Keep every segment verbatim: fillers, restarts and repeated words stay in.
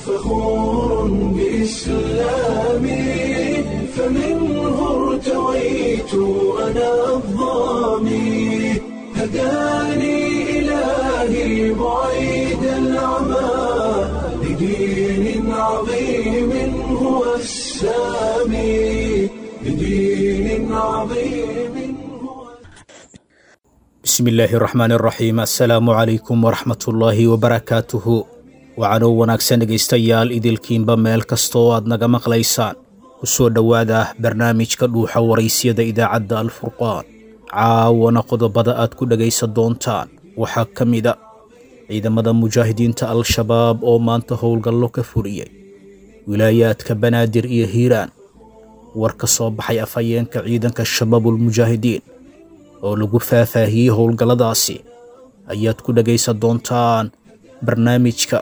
فخور بإسلامي فمنه ارتويت أنا الظامي هداني إلهي بعيد العمى لدين عظيم هو السامي لدين عظيم هو. Bismi illaahi raxmaan raxiim. Assalaamu calaykum waraxmatullaahi wabarakaatuhu. Waxaanoo wanaagsan dhegaystayaal idilkiinba meel kasta oo aad naga maqlaysaan, ku soo dhowaada barnaamijka Dhuuxa Waraysyada idaacadda Alfurqaan. Caawana qodobada aad ku dhegaysan doontaan waxaa ka mida ciidamada mujaahidiinta Al-Shabaab oo maanta howlgallo ka fuliyey wilaayaadka Banaadir iyo Hiiraan, war ka soo baxay afhayeenka ciidanka Shabaabulmujaahidiin oo lagu faahfaahiyey howlgalladaasi ayaad ku dhegaysan doontaan barnaamijka,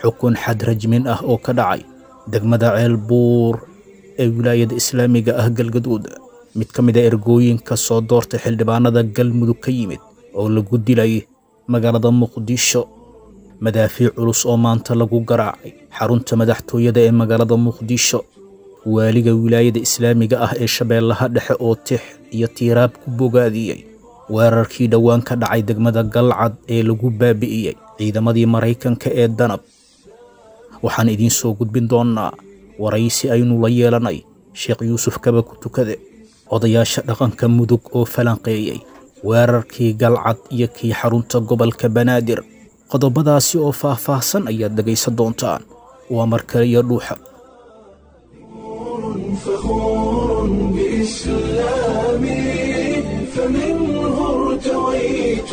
xukun xad rajmin ah oo ka dhacay degmada Ceelbuur ee wilaayada islaamiga ah Galgaduud, mid ka mid a ergooyinka soo doortay xildhibaanada Galmudug ka yimid oo lagu dilay magaalada Muqdisho, madaafiic culus oo maanta lagu garaacay xarunta madaxtooyada ee magaalada Muqdisho, waaliga wilaayada islaamiga ah ee Shabeellaha Dhexe oo tix iyo tiiraab ku bogaadiyey weerarkii dhowaan ka dhacay degmada Galcad ee lagu baabi'iyey ciidamadii Maraykanka ee Danab. Waxaan idiin soo gudbin doonnaa waraysi aynu la yeelanay Sheekh Yuusuf Kaba ku tukade, odayaasha dhaqanka Mudug oo falanqeeyey weerarkii Galcad iyo kii xarunta gobolka Banaadir. Qodobadaasi oo faahfaahsan ayaad dhegaysan doontaan. Waa mar kale iyo Dhuuxa. فخور بإسلامي فمنه ارتويت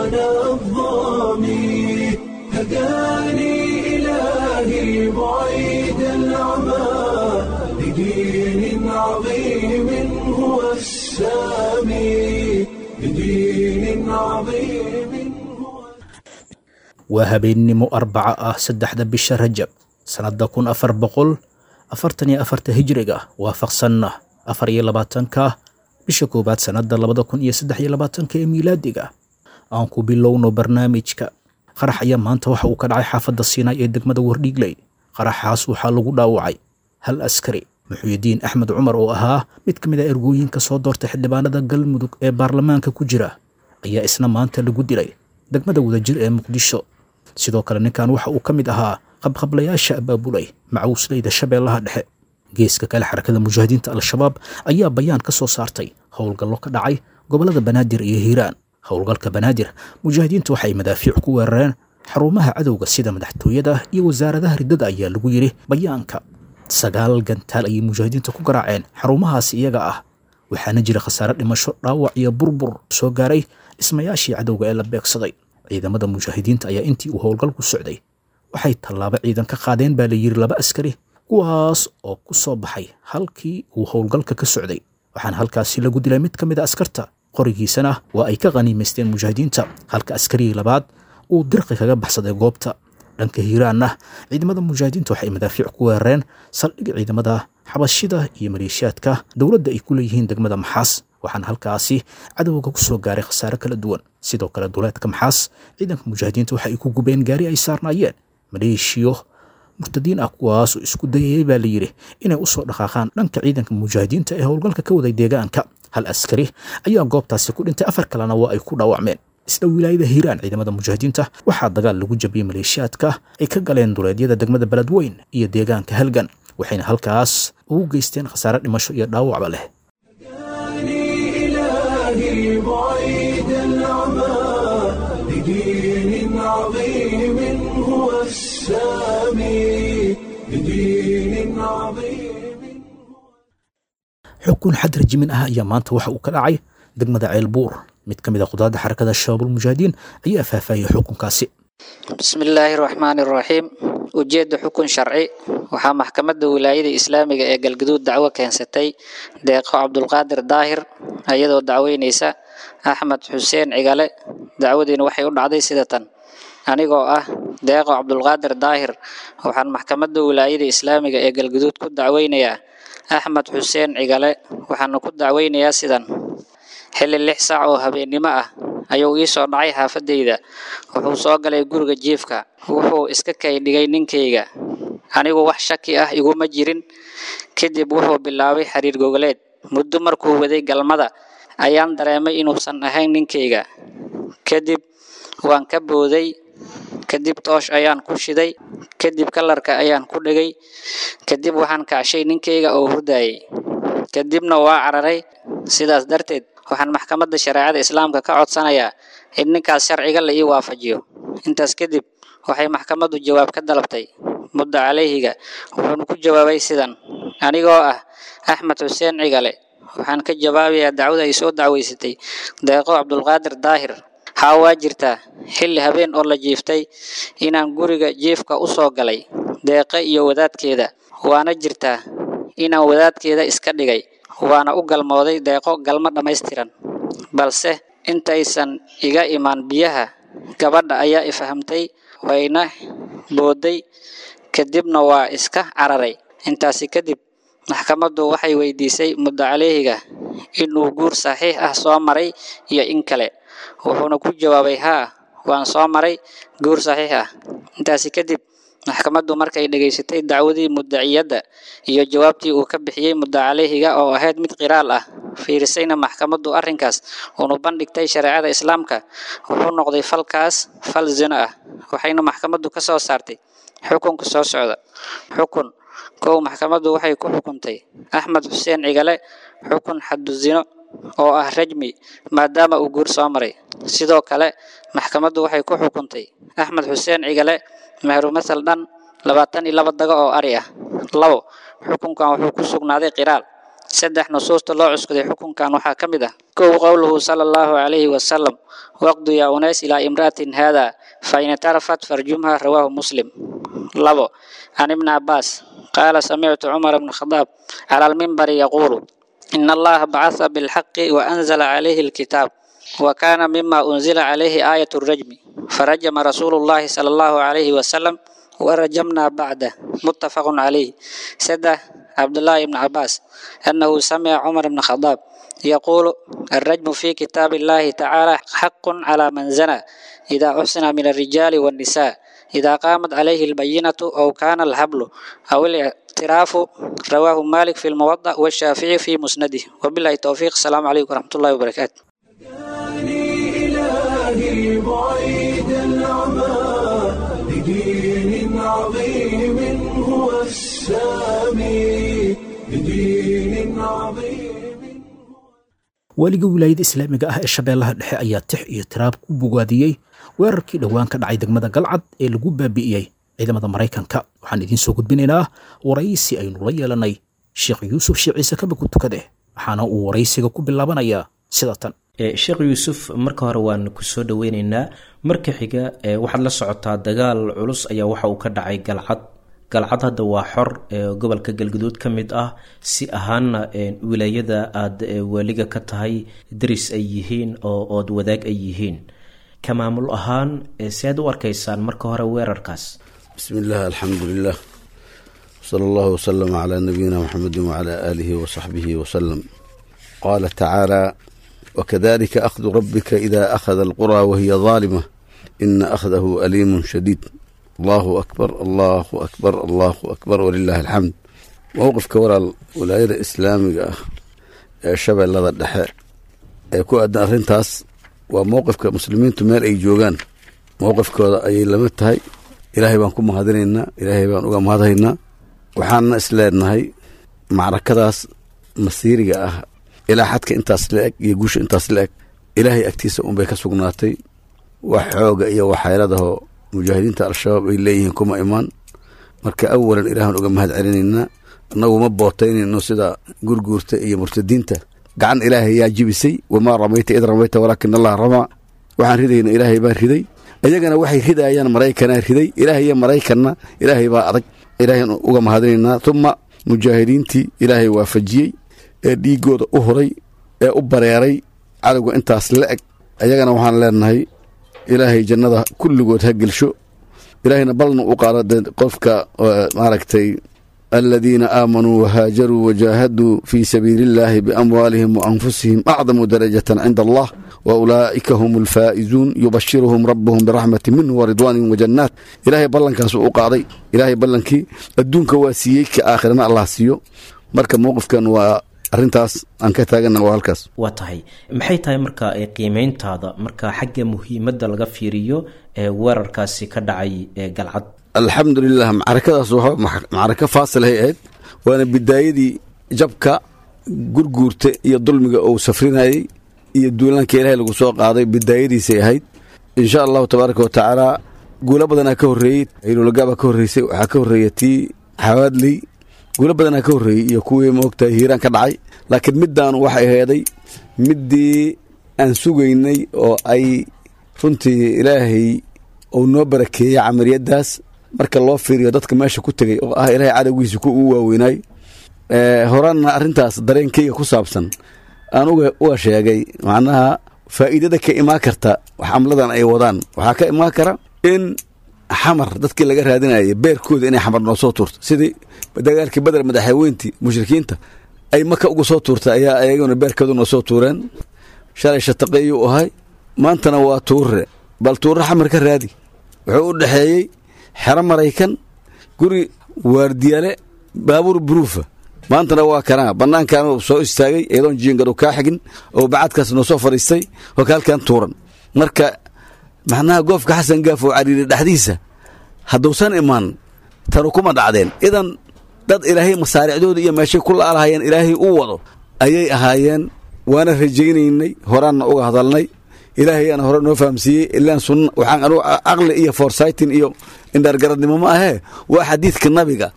أنا الظامي هداني إلهي بعيد العمى لدين عظيم هو السامي لدين عظيم هو. Waa habeennimo Arbaca ah, saddexda bisha Rajab sannadda kun afar boqol afartan iyo afarta hijriga, waafaqsanna afar iyo labaatanka bisha koowaad sannadda labada kun iyo saddex iyo labaatanka ee miilaadiga. Aan ku bilowno barnaamijka. Qarax ayaa maanta waxa uu ka dhacay xaafadda Siinaay ee degmada Wardhiigley. Qaraxaas waxaa lagu dhaawacay hal askari, Muxuyidiin Axmed Cumar, oo ahaa mid ka mid a ergooyinka soo doortay xildhibaanada Galmudug ee baarlamaanka ku jira, ayaa isna maanta lagu dilay degmada Wadajir ee Muqdisho. Sidoo kale ninkan waxa uu ka mid ahaa qabqablayaasha abaabulay macawisleyda Shabeellaha Dhexe. Geeska kale, Xarakada Mujaahidiinta Al-Shabaab ayaa bayaan ka soo saartay howlgallo ka dhacay gobollada Banaadir iyo Hiiraan. Howlgalka Banaadir, mujaahidiintu waxay madaafiic ku weerareen xarumaha cadowga sida madaxtooyada iyo wasaaradaha riddada, ayaa lagu yidhi bayaanka. Sagaal gantaal ayay mujaahidiinta ku garaaceen xarumahaasi iyaga ah, waxaana jira khasaare dhimasho, dhaawac iyo burbur soo gaaray dhismayaashii cadowga ee la beegsaday. Ciidamada mujaahidiinta ayaa intii uu howlgalku socday waxay tallaabo ciidan ka qaadeen, baa la yidhi, laba askari, kuwaas oo ku soo baxay halkii uu howlgalka ka socday, waxaana halkaasi lagu dilay mid ka mid a askarta, qorigiisana waa ay ka khaniimaysteen mujaahidiinta, halka askarigii labaad uu dirqi kaga baxsaday goobta. Dhanka Hiiraanna, ciidamada mujaahidiinta waxay madaafiic ku weerareen saldhig ciidamada Xabashida iyo maleeshiyaadka dowladda ay ku leeyihiin degmada Maxaas, waxaana halkaasi cadowga ku soo gaaray khasaare kala duwan. Sidoo kale duleedka Maxaas, ciidanka mujaahidiinta waxa ay ku gubeen gaari ay saarnaayeen maleeshiyo murtadiin ah, kuwaas oo isku dayayay, baa la yidhi, inay usoo dhaqaaqaan dhanka ciidanka mujaahidiinta ee howlgalka ka waday deegaanka. Hal askari ayaa goobtaasi ku dhintay, afar kalena waa ay ku dhaawacmeen. Isla wilaayada Hiiraan, ciidamada mujaahidiinta waxaa dagaal lagu jabiyey maleeshiyaadka ay ka galeen duleedyada degmada Beledweyn iyo deegaanka Halgan, waxayna halkaas ugu geysteen khasaare dhimasho iyo dhaawacba leh. هداني إلهي بعيد العمى لدين عظيم هو السامي لدين عظيم. Xukun xad rajimin ah ayaa maanta waxa uu ka dhacay degmada Ceelbuur. Mid ka mid a qudaadda Xarakada Shabaabulmujaahidiin ayaa faahfaahiyey xukunkaasi. Bismi illaahi raxmaani raxiim. Ujeedda xukun sharci. Waxaa maxkamadda wilaayada islaamiga ee Galgaduud dacwo keensatay Deeqo Cabdulqaadir Daahir, iyadoo dacweyneysa Axmed Xuseen Cigale. Dacwadiina waxay u dhacday sida tan: anigoo ah Deeqo Cabdulqaadir Daahir, waxaan maxkamadda wilaayada islaamiga ee Galgaduud ku dacweynayaa Axmed Xuseen Cigale. Waxaana ku dacweynayaa sidan: xilli lix saac oo habeennimo ah ayuu ii soo dhacay xaafadayda. Wuxuu soo galay guriga jiifka, wuxuu iska kay dhigay ninkayga. Anigu wax shaki ah iguma jirin. Kadib wuxuu bilaabay xiriir gogoleed. Muddo markuu waday galmada ayaan dareemay inuusan ahayn ninkayga. Kadib waan ka booday. Kadib toosh ayaan ku shiday. Kadib kalarka ayaan ku dhigay. Kadib waxaan kacshay ninkayga oo hurdayay. Kadibna waa cararay. Sidaas darteed waxaan maxkamadda shareecada islaamka ka codsanayaa in ninkaas sharciga la ii waafajiyo. Intaas kadib waxay maxkamaddu jawaab ka dalabtay muddo calayhiga, wuxuuna ku jawaabay sidan: anigoo ah Axmed Xuseen Cigale, waxaan ka jawaabayaa dacwada ay soo dacweysatay Deeqo Cabdulqaadir Daahir. Haa, waa jirtaa xilli habeen oo la jiiftay inaan guriga jiifka u soo galay Deeqe iyo wadaadkeeda, waana jirtaa inaan wadaadkeeda iska dhigay, waana u galmooday Deeqo galmo dhammaystiran. Balse intaysan iga imaan biyaha, gabadha ayaa i fahamtay, wayna booday, kadibna waa iska cararay. Intaasi kadib maxkamaddu waxay weydiisay muddo calayhiga inuu guur saxiix ah soo maray iyo in kale, wuxuuna ku jawaabay haa, waan soo maray guur saxiix ah. Intaasi kadib maxkamaddu markay dhegaysatay dacwadii muddaciyadda iyo jawaabtii uu ka bixiyey muddo calayhiga oo ahayd mid qiraal ah, fiirisayna maxkamaddu arrinkaas uunu bandhigtay shareecada islaamka, wuxuu noqday falkaas fal zino ah. Waxayna maxkamaddu ka soo saartay xukunka soo socda. Xukun: kow, maxkamaddu waxay ku xukuntay Axmed Xuseen Cigale xukun xaddu zino oo ah rajmi, maadaama uu guur soo maray. Sidoo kale maxkamaddu waxay ku xukuntay Axmed Xuseen Cigale mehru masal dhan labaatan iyo laba dago oo ari ah. Labo, xukunkan wuxuu ku sugnaaday qiraal. Saddex, nusuusta loo cuskaday xukunkan waxaa ka mid ah: kow, qowluhu sala allahu calayhi wasalam, waqdu yaa unays ilaa imra'atin haada fa in itarafat farjumha, rawaahu Muslim. Labo, can ibni Cabbaas qaala samictu Cumar bna Khadaab cala almimbari yaquulu in allaha bacatha bilxaqi wa anzala calayhi alkitaab wa kaana mima unzila calayhi aayatu rajmi farajama rasuulu llahi sala allahu calayhi wasalam warajamna bacdah, muttafaqun calayh. Saddex, Cabdullaahi ibni Cabbaas annahu samica Cumar bna Khadaab yaquulu alrajmu fi kitaabi illahi tacaala xaqun calaa man zana idaa uxsina min alrijaali waannisaa idaa qaamat calayhi albayinatu aw kaana alxablu aw اlictiraafu, rawaahu Malik fi lmuwadac washaafici fi musnadih. Wabillahi towfiiq. Asalaamu calaykum waraxmatullahi wabarakaatu. إلهي بعيد العمى لدين عظيم هو السامي، لدين عظيم. Waaliga wilaayada islaamiga ah ee Shabeellaha Dhexe ayaa tix iyo tiraab ku bogaadiyey weerarkii dhowaan ka dhacay degmada Galcad ee lagu baabi'iyey ciidamada Maraykanka. Waxaan idiin soo gudbinaynaa waraysi aynu la yeelanay Sheekh Yuusuf Sheekh Ciise Kaba ku tukade, waxaana uu waraysiga ku bilaabanayaa sida tan. Sheekh Yuusuf, marka hore waan kusoo dhaweyneynaa. Marka xiga, waxaad la socotaa dagaal culus ayaa waxa uu ka dhacay Galcad. Galcad hadda waa xor gobolka Galguduud ka mid ah, si ahaanna wilaayada aada waaliga ka tahay deris ay yihiin oo ood wadaag ay yihiin. Ka maamul ahaan si aad u arkaysaan marka hore weerarkaas? بسم الله، الحمد لله، صلى الله وسلم على نبينا محمد وعلى آله وصحبه وسلم. قال تعالى: وكذلك أخذ ربك إذا أخذ القرى وهي ظالمة إن أخذه أليم شديد. الله أكبر، الله أكبر، الله أكبر، ولله الحمد. Mowqifka walaal wilaayada islaamiga ah ee Shabeellada Dhexe ee ku aadan arrintaas waa mowqifka muslimiintu meel ay joogaan mowqifkooda ayay lama tahay. Ilaahay baan ku mahadinaynaa, Ilaahay baan uga mahadhaynaa. Waxaana isleenahay macrakadaas masiiriga ah ilaa xadka intaas la eg iyo guusha intaas la eg Ilaahay agtiisa unbay ka sugnaatay. Wax xooga iyo waxyeeladaho mujaahidiinta Al-Shabaab ay leeyihiin kuma imaan. Marka awalan Ilaahan uga mahad celinaynaa. Annagu ma bootaynayno sida Gurguurta iyo murtadiinta. Gacan Ilaahay yaa jibisay. Wamaa ramayta id ramayta walaakin Allaha ramaa. Waxaan ridayna Ilaahay baa riday, iyagana waxay ridayaan Maraykanaa riday. Ilaahay iyo Maraykanna Ilaahay baa adag. Ilaahayn uga mahadinaynaa. Tuma mujaahidiintii Ilaahay waafajiyey ee dhiigooda u huray ee u bareeray cadowga intaas la eg, ayagana waxaan leenahay Ilaahay jannada kulligood ha gelsho. Ilaahayna balna u qaado dee qofka maaragtay Aladiina aamanuu wahaajaruu wajaahaduu fii sabiili illaahi biamwaalihim waanfusihim acdamu darajatan cinda allah wa ulaa'ika hum alfaa'izuun yubashiruhum rabbuhum biraxmati minhu waridwaanin wajannaat. Ilaahay ballankaas uu qaaday, ilaahay ballankii adduunka waa siiyey, ka aakhirana allah siiyo. Marka mowqifkan waa arrintaas aan ka taaganna, waa halkaas. Waa tahay, maxay tahay marka qiimeyntaada marka xagga muhiimadda laga fiiriyo ee weerarkaasi ka dhacay ee Galcad? Alxamdulilah, macrakadaas waa macrako faasilhay ahayd, waana bidaayadii jabka Gurguurta iyo dulmiga uu safrinayey iyo duulaanka ilaahay lagu soo qaaday bidaayadiisay ahayd. Insha allahu tabaaraka wa tacaala guulo badanaa ka horreeyey, hilolagaabaa ka horreysay, waxaa ka horreeya tii Xawaadley, guulo badanaa ka horreeyey iyo kuwii maogtahay Hiiraan ka dhacay, laakiin middaan waxay heeday middii aan sugaynay oo ay runtii ilaahay uu noo barakeeyey camaliyaddaas. Marka loo fiiriyo dadka meesha ku tegey oo ah ilaahay cadowgiisa ku ugu waaweynaay, horaanna arrintaas dareenkayga ku saabsan aan uga uga sheegay, macnaha faa'iidada ka imaan karta xamladan ay wadaan waxaa ka imaan kara in Xamar dadkii laga raadinayay beerkooda inay Xamar noo soo tuurto, sidii dagaalkii Beder madaxweyntii mushrikiinta ay Maka uga soo tuurtay ayaa ayaguna beerkooda noo soo tuureen. Shalay Shataqeeyuu ahay, maantana waa Tuure. Bal Tuure Xamar ka raadi, wuxuu u dhexeeyey xero Maraykan, guri waardiyaale, baabuur buruufa. Maantana waa kanaa bannaankan soo istaagay iyadoon jiingadu kaa xigin oo bacadkaas noo soo fadhiistay oo kaalkan tuuran. Marka macnaha goofka Xasan Gaaf oo cariiri dhexdiisa hadduusan imaan tanu kuma dhacdeen. Idan dad ilaahay masaaricdooda iyo meeshay ku laalahayeen ilaahay u wado ayay ahaayeen, waana rajaynaynay, horaanna uga hadalnay, ilaahay aana hore noo fahamsiiyey. Ilaan sunna waxaan anugu caqli iyo forsytin iyo indhaargaradnimo ma ahee, waa xadiidka nabiga.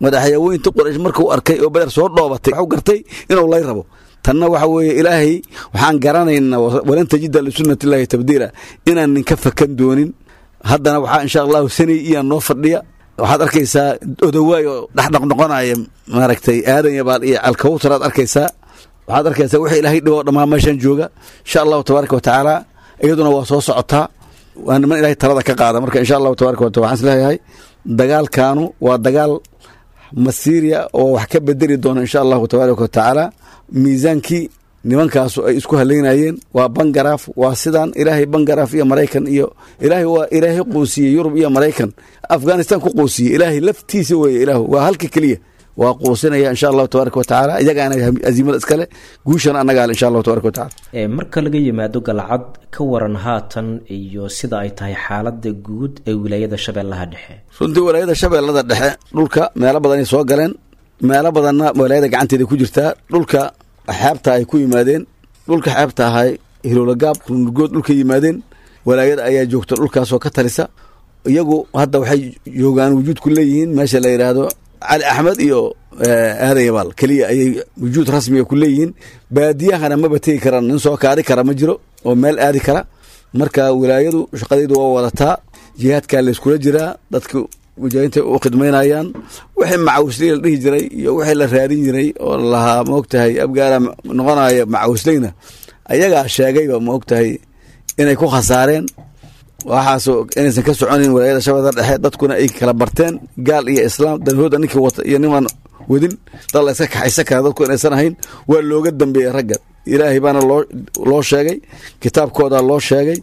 Madaxyaweynta Quraysh markuu arkay oo Beder soo dhoobatay wuxuu gartay inuu lay rabo. Tanna waxa weeye ilaahay waxaan garanaynaa walan tajida lisunnati illaahi tabdiila, inaan ninka fakan doonin. Haddana waxaa insha allahu sanay iyaa noo fadhiya, waxaad arkaysaa odawaay oo dhexdhaqnoqonaya maaragtay Aadan Yabaal iyo Alkawtar aad arkaysaa, waxaad arkaysaa wixii ilaahay dhibo dhammaan meeshan jooga. Insha allahu tabaaraka wa tacaala iyaduna waa soo socotaa, waa niman ilaahay talada ka qaada. Marka insha allahu tabaaraka wa taala waxaan isleeyahay dagaalkaanu waa dagaal masiiriya oo wax ka bedeli doona insha allahu tabaaraka wa tacaala miisaankii nimankaasu ay isku haleynayeen. Waa bangaraaf, waa sidaan ilaahay bangaraaf iyo Maraykan iyo ilaahay waa ilaahay quusiyey Yurub iyo Maraykan, Afghanistan ku quusiyey ilaahay laftiisa weeye. Ilaahu waa halka keliya waa quusinaya insha allahu tabaaraka wa tacaala, iyagaana aziimada iskale, guushana annagaa insha allahu tabaaraka wa tacaala. Marka laga yimaado Galcad, ka waran haatan iyo sida ay tahay xaaladda guud ee wilaayada Shabeellaha Dhexe? Runtii wilaayada Shabeellada Dhexe dhulka meelo badanay soo galeen, meelo badanna wilaayada gacanteeda ku jirtaa. Dhulka xeebta ay ku yimaadeen, dhulka xeebta ahay Hiloolagaab, Runurgood dhulka yimaadeen, walaayada ayaa joogta dhulkaasoo ka talisa. Iyagu hadda waxay joogaan wujuud ku leeyihiin meesha la yidhaahdo Cali Axmed iyo Aadan Yabaal keliya ayay wujuud rasmiga ku leeyihiin. Baadiyahana maba tegi karaan, nin soo kaadi kara ma jiro oo meel aadi kara. Marka wilaayadu shaqadaydu waa wadataa, jihaadkaa layskula jiraa, dadka mujaahidiinta u khidmaynayaan. Wixii macawisley la dhihi jiray iyo wixii la raadin jiray oo lahaa maogtahay abgaara noqonaya macawisleyna, ayagaa sheegayba maogtahay inay ku khasaareen waxaas, inaysan ka soconayn walaayada Shabeellada Dhexe, dadkuna ay kala barteen gaal iyo islaam, danhooda ninkii wata iyo nimaan wadin, dad la iska kaxaysan kara dadku inaysan ahayn. Waa looga dambeeyey ragga, ilaahay baana loo loo sheegay, kitaabkooda loo sheegay,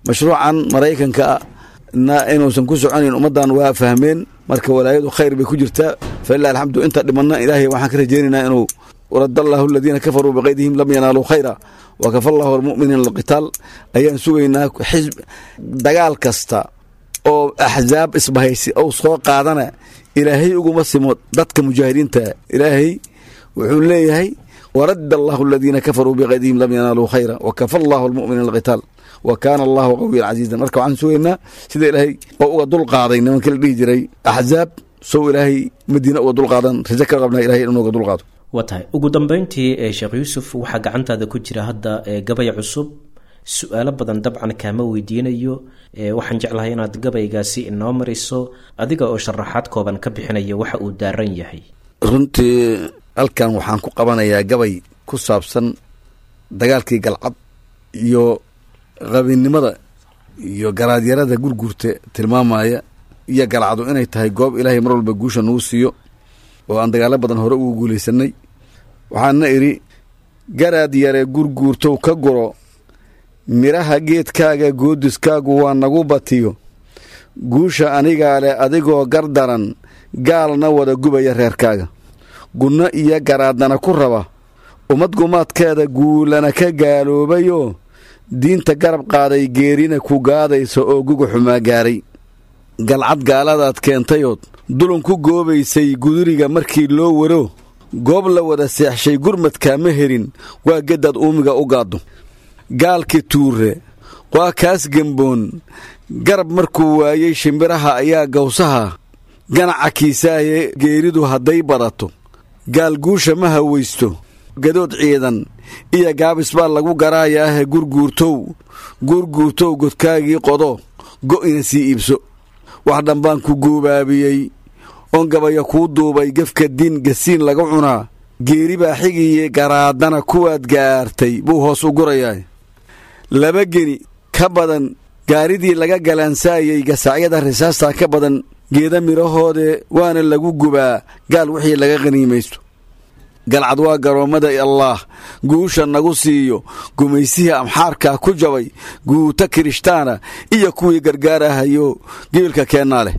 mashruucan Maraykanka na inuusan ku soconayn ummaddan waa fahmeen. Marka walaayadu khayr bay ku jirtaa, falilah alxamdu. Inta dhimanna ilaahay waxaan ka rajaynaynaa inuu rad allahu aladiina kafaruu biqaydihim lam yanaaluu khayra wakafa allahu almu'miniina alqitaal ayaan sugaynaa. Xisb dagaal kasta oo axzaab isbahaysi ou soo qaadana ilaahay uguma simo dadka mujaahidiinta. Ilaahay wuxuu leeyahay warad allahu aladiina kafaruu biqaydihim lam yanaaluu khayra wakafa allahu almu'miniina alqitaal wa kaana allahu qawiyan casiizan. Marka waxaan sugaynaa sida ilaahay oo uga dul qaaday nimankii la dhihi jiray axzaab, sow ilaahay Madiina uga dul qaadan rajo ka qabnaa ilahay inuu uga dul qaado. Waa tahay, ugu dambeyntii Sheekh Yuusuf, waxaa gacantaada ku jira hadda gabay cusub. Su-aalo badan dabcan kaama weydiinayo, waxaan jeclahay inaad gabaygaasi inoo mariso adiga oo sharaxaad kooban ka bixinaya waxa uu daaran yahay. Runtii halkan waxaan ku qabanayaa gabay ku saabsan dagaalkii Galcad iyo qabinnimada iyo garaadyarada Gurgurta tilmaamaya, iyo Galcadu inay tahay goob ilaahay mar walba guusha nagu siiyo. Oo aan dagaalo badan hore ugu guulaysanay. Waxaana idhi: garaad yare gurguurtow ka guro midhaha geedkaaga, goodiskaagu waa nagu batiyo. Guusha anigaa leh adigoo gardaran, gaalna wada gubaya reerkaaga, gunno iyo garaadana ku raba ummad gumaadkeeda, guulana ka gaaloobayoo diinta garab qaaday, geerina ku gaadaysa oo guga xumaa gaaray. Galcad gaaladaad keentayood dulun ku goobaysay, guduriga markii loo waro goob la wada seexshay, gurmadkaa ma helin, waa geddaad uumiga u gaaddo. Gaalkii tuure waa kaas gemboon, garab markuu waayey shimbiraha ayaa gawsaha ganaca kiisaaye. Geeridu hadday badato gaal guusha ma hawaysto, gadood ciidan iyo gaabis baa lagu garaayaahe. Gurguurtow, gurguurtow, godkaagii qodo, go'ina sii iibso. Wax dhanbaan ku guubaabiyey oon gabaya kuu duubay, gefka diin gasiin laga cunaa, geeri baa xigiye, garaadana kuwaad gaartay buu hoos u gurayaa. Laba geni ka badan gaaridii laga galaansaayey, gasaacyada risaastaa ka badan geeda midhahoode, waana lagu gubaa gaal wixii laga qaniimaysto. Galcad waa garoommada Allaah guusha nagu siiyo, gumaysihii amxaarkaa ku jabay, guuta kirishtaana iyo kuwii gargaarahayo gebilka keennaa leh.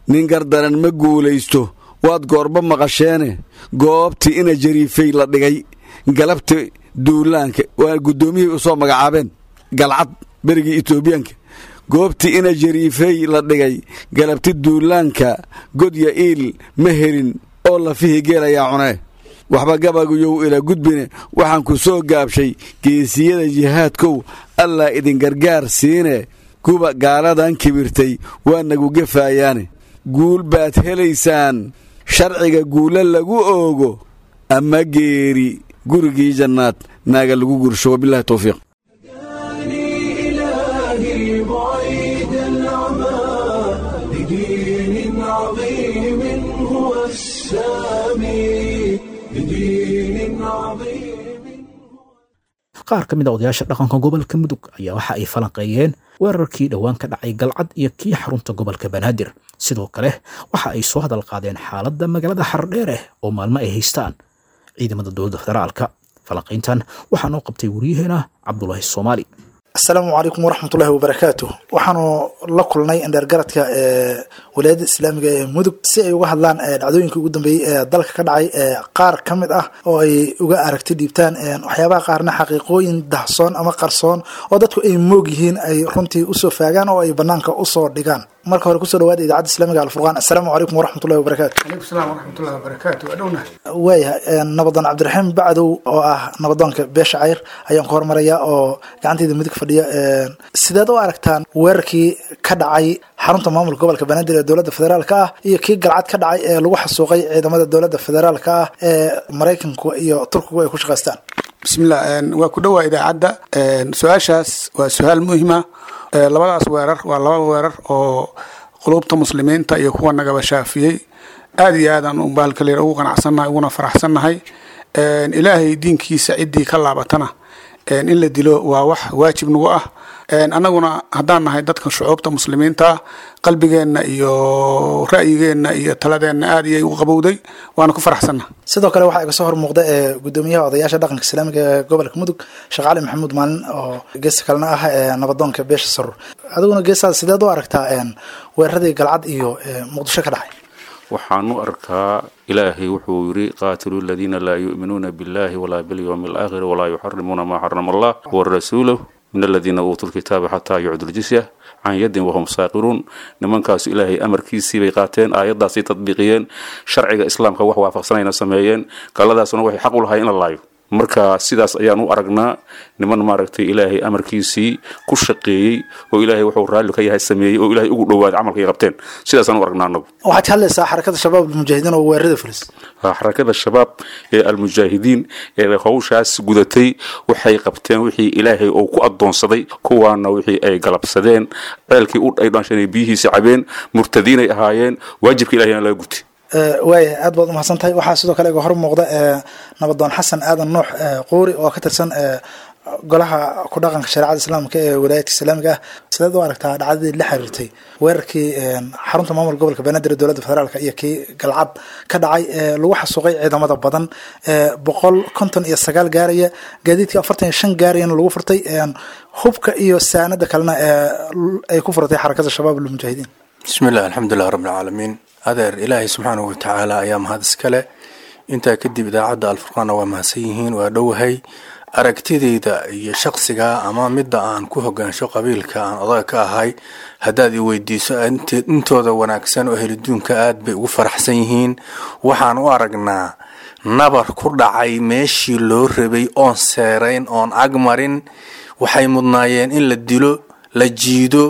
Nin gardaran ma guulaysto waad goorba maqasheene. Goobtii ina jariifay la dhigay galabti duulaanka, waa guddoomiyihii u soo magacaabeen Galcad berigii Etoobiyaanka, goobtii ina jariifay la dhigay galabti duulaanka, godya iil ma helin oo lafihii geel ayaa cunee. Waxba gabaguyow ila gudbine, waxaan ku soo gaabshay: geesiyada jihaadkow, Allah idin gargaar siine, kuba gaaladan kibirtay waa nagu gefayaane. Guul baad helaysaan sharciga guulo lagu oogo, ama geeri gurigii jannaad naaga lagu gursho. Wabilahi towfiiq. إلهي بعيد العمى لدين عظيم هو السامي، لدين عظيم. Qaar ka mid a odayaasha dhaqanka gobolka Mudug ayaa waxa ay falanqeeyeen weerarkii dhowaan ka dhacay Galcad iyo kii xarunta gobolka Banaadir. Sidoo kale waxa ay soo hadal qaadeen xaaladda magaalada Xardheere oo maalmo ay haystaan ciidamada dowladda federaalka. Falanqayntan waxaa noo qabtay wariyaheena Cabdulaahi Soomaali. Asalaamu calaykum waraxmatullahi wabarakaatu. Waxaanu la kulnay indheergaradka ee walaayadda islaamiga ee Mudug si ay uga hadlaan dhacdooyinkii ugu dambeeyey ee dalka ka dhacay qaar ka mid ah, oo ay uga aragti dhiibtaan waxyaabaha qaarna, xaqiiqooyin dahsoon ama qarsoon oo dadku ay moog yihiin ay runtii usoo faagaan oo ay banaanka usoo dhigaan. Marka hore kusoo dhawaada idaacadda islaamiga Alfurqaan. Asalaamu calaykum waraxmatullahi wabarakaatu. Calaykum salaam waraxmatullahi wabarakaatu. Waa dhownahay. Waayahay, nabadoon Cabdiraxiim Bacdow oo ah nabadoonka beesha Cayr ayaan ku hormarayaa oo gacantayda midig fadhiya. Sideed u aragtaan weerarkii ka dhacay xarunta maamulka gobolka Banaadir ee dowladda federaalka ah iyo kii Galcad ka dhacay ee lagu xasuuqay ciidamada dowladda federaalka ah ee Maraykanku iyo Turkigu ay ku shaqaystaan? Bismillah, waa ku dhowaa idaacadda. Su-aashaas waa su-aal muhima. Labadaas weerar waa laba weerar oo qulubta muslimiinta iyo kuwa nagaba shaafiyey. Aada iyo aadaan bahalka ugu qanacsannahay uguna faraxsannahay. Ilaahay diinkiisa ciddii ka laabatana in la dilo waa wax waajib nagu ah. Annaguna haddaan nahay dadka shucuubta muslimiinta, qalbigeenna iyo ra'yigeenna iyo taladeenna aad iyay u qabowday, waana ku faraxsannahay. Sidoo kale waxaa iga soo hor muuqda ee gudoomiyaha odayaasha dhaqanka islaamiga ee gobolka Mudug, Sheekh Cali Maxamuud Maalin, oo geesta kalena ah ee nabadoonka beesha Sarur. Adiguna geestaada sideed u aragtaa weeraradii Galcad iyo Muqdisho ka dhacay? Waxaan u arkaa, Ilaahay wuxuu yidhi: qaatiluu aladiina laa yu'minuuna billahi walaa bilyawmi alaakhiri walaa yuxarimuuna maa xarama allah warasuuluh min aladiina uutuu lkitaaba xataa yucdu ljisya can yadin wahum saaqiruun. Nimankaasu Ilaahay amarkiisii bay qaateen, aayaddaasay tadbiiqiyeen, sharciga islaamka wax waafaqsanayna sameeyeen. Gaaladaasuna waxay xaq u lahay in la laayo. Marka sidaas ayaan u aragnaa, niman maaragtay Ilaahay amarkiisii ku shaqeeyey oo Ilaahay wuxuu raalli ka yahay sameeyey oo Ilaahay ugu dhowaaday camalkay qabteen. Sidaasaan u aragnaa anagu. Waxaad ka hadlaysaa xarakada Shabaab Almujaahidiin oo weerarada fulis. Xarakada Shabaab ee Almujaahidiin ee hawshaas gudatay waxay qabteen wixii Ilaahay uu ku addoonsaday. Kuwaana wixii ay galabsadeen, ceelkii u ay dhaansheen biyihiisa cabeen, murtadiinay ahaayeen, waajibka Ilahayna laga gutay. Waaya, aad baad umahadsan tahay. Waxaa sidoo kale iga hor muuqda nabadoon Xasan Aadan Nuux Quuri oo ka tirsan Golaha ku dhaqanka shareecada islaamka ee walaayadka islaamiga ah, sideed u aragtaa dhacdadii la xiriirtay weerarkii xarunta maamul gobolka Banaadir ee dowladda federaalka iyo kii Galcad ka dhacay ee lagu xasuuqay ciidamada badan ee boqol konton iyo sagaal gaaraya, gaadiidkii afartan iyo shan gaarayana lagu furtay, hubka iyo saanada kalena ee ay ku furatay Xarakada Shabaab Almujaahidiin? Bismillaah, alxamdulilah rabbilcaalamiin. Adeer, Ilaahay subxaanahu watacaala ayaa mahad iskale. Intaa kadib, idaacadda Alfurqaanna waa mahadsan yihiin, waa dhowahay. Aragtidayda iyo shaqsiga ama midda aan ku hogaansho qabiilka aan odaga ka ahay haddaad i weydiiso, intooda wanaagsan oo heliduunka aad bay ugu faraxsan yihiin. Waxaan u aragnaa nabar ku dhacay meeshii loo rabay, oon seerayn oon agmarin. Waxay mudnaayeen in la dilo, la jiido,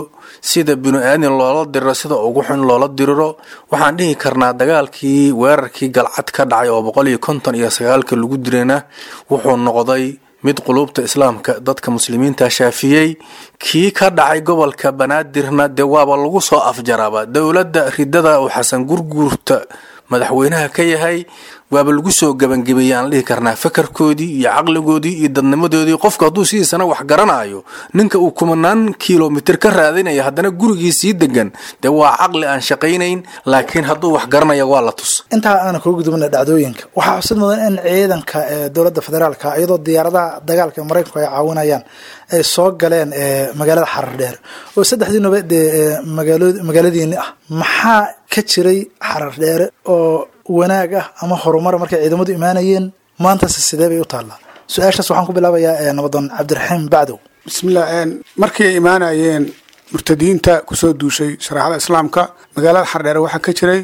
sida binu-aadin loola diriro, sida ugu xun loola diriro. Waxaan dhihi karnaa dagaalkii weerarkii Galcad ka dhacay oo boqol iyo konton iyo sagaalka lagu dirana wuxuu noqday mid quluubta islaamka dadka muslimiinta shaafiyey. Kii ka dhacay gobolka Banaadirna dee waaba lagu soo afjaraaba dowladda ridada uu Xasan Gurguurta madaxweynaha ka yahay, waaba lagu soo gebangebeeyey aan dhihi karnaa fakarkoodii iyo caqligoodii iyo dadnimadoodii. Qofku hadduu sidiisana wax garanayo, ninka uu kumanaan kilomitir ka raadinaya haddana gurigii sii degan, dee waa caqli aan shaqaynayn, laakiin hadduu wax garanaya waa la tus. Intaa aana kuga gudubna dhacdooyinka, waxaa xusid mudan in ciidanka dowladda federaalka, iyadoo diyaaradaha dagaalka ee Maraykanku ay caawinayaan, ay soo galeen magaalada Xarar Dheer oo saddexdii nobe dee magaalo magaaladiini ah. Maxaa ka jiray Xarar Dheere oo wanaag ah ama horumar markay ciidamadu imaanayeen? Maantase sidee bay u taallaa? Su-aashaas waxaan ku bilaabayaa nabadoon Cabdiraxiim Bacdow. Bismillah. Markii ay imaanayeen murtadiinta kusoo duushay shareecada islaamka magaalada Xardheere, waxaa ka jiray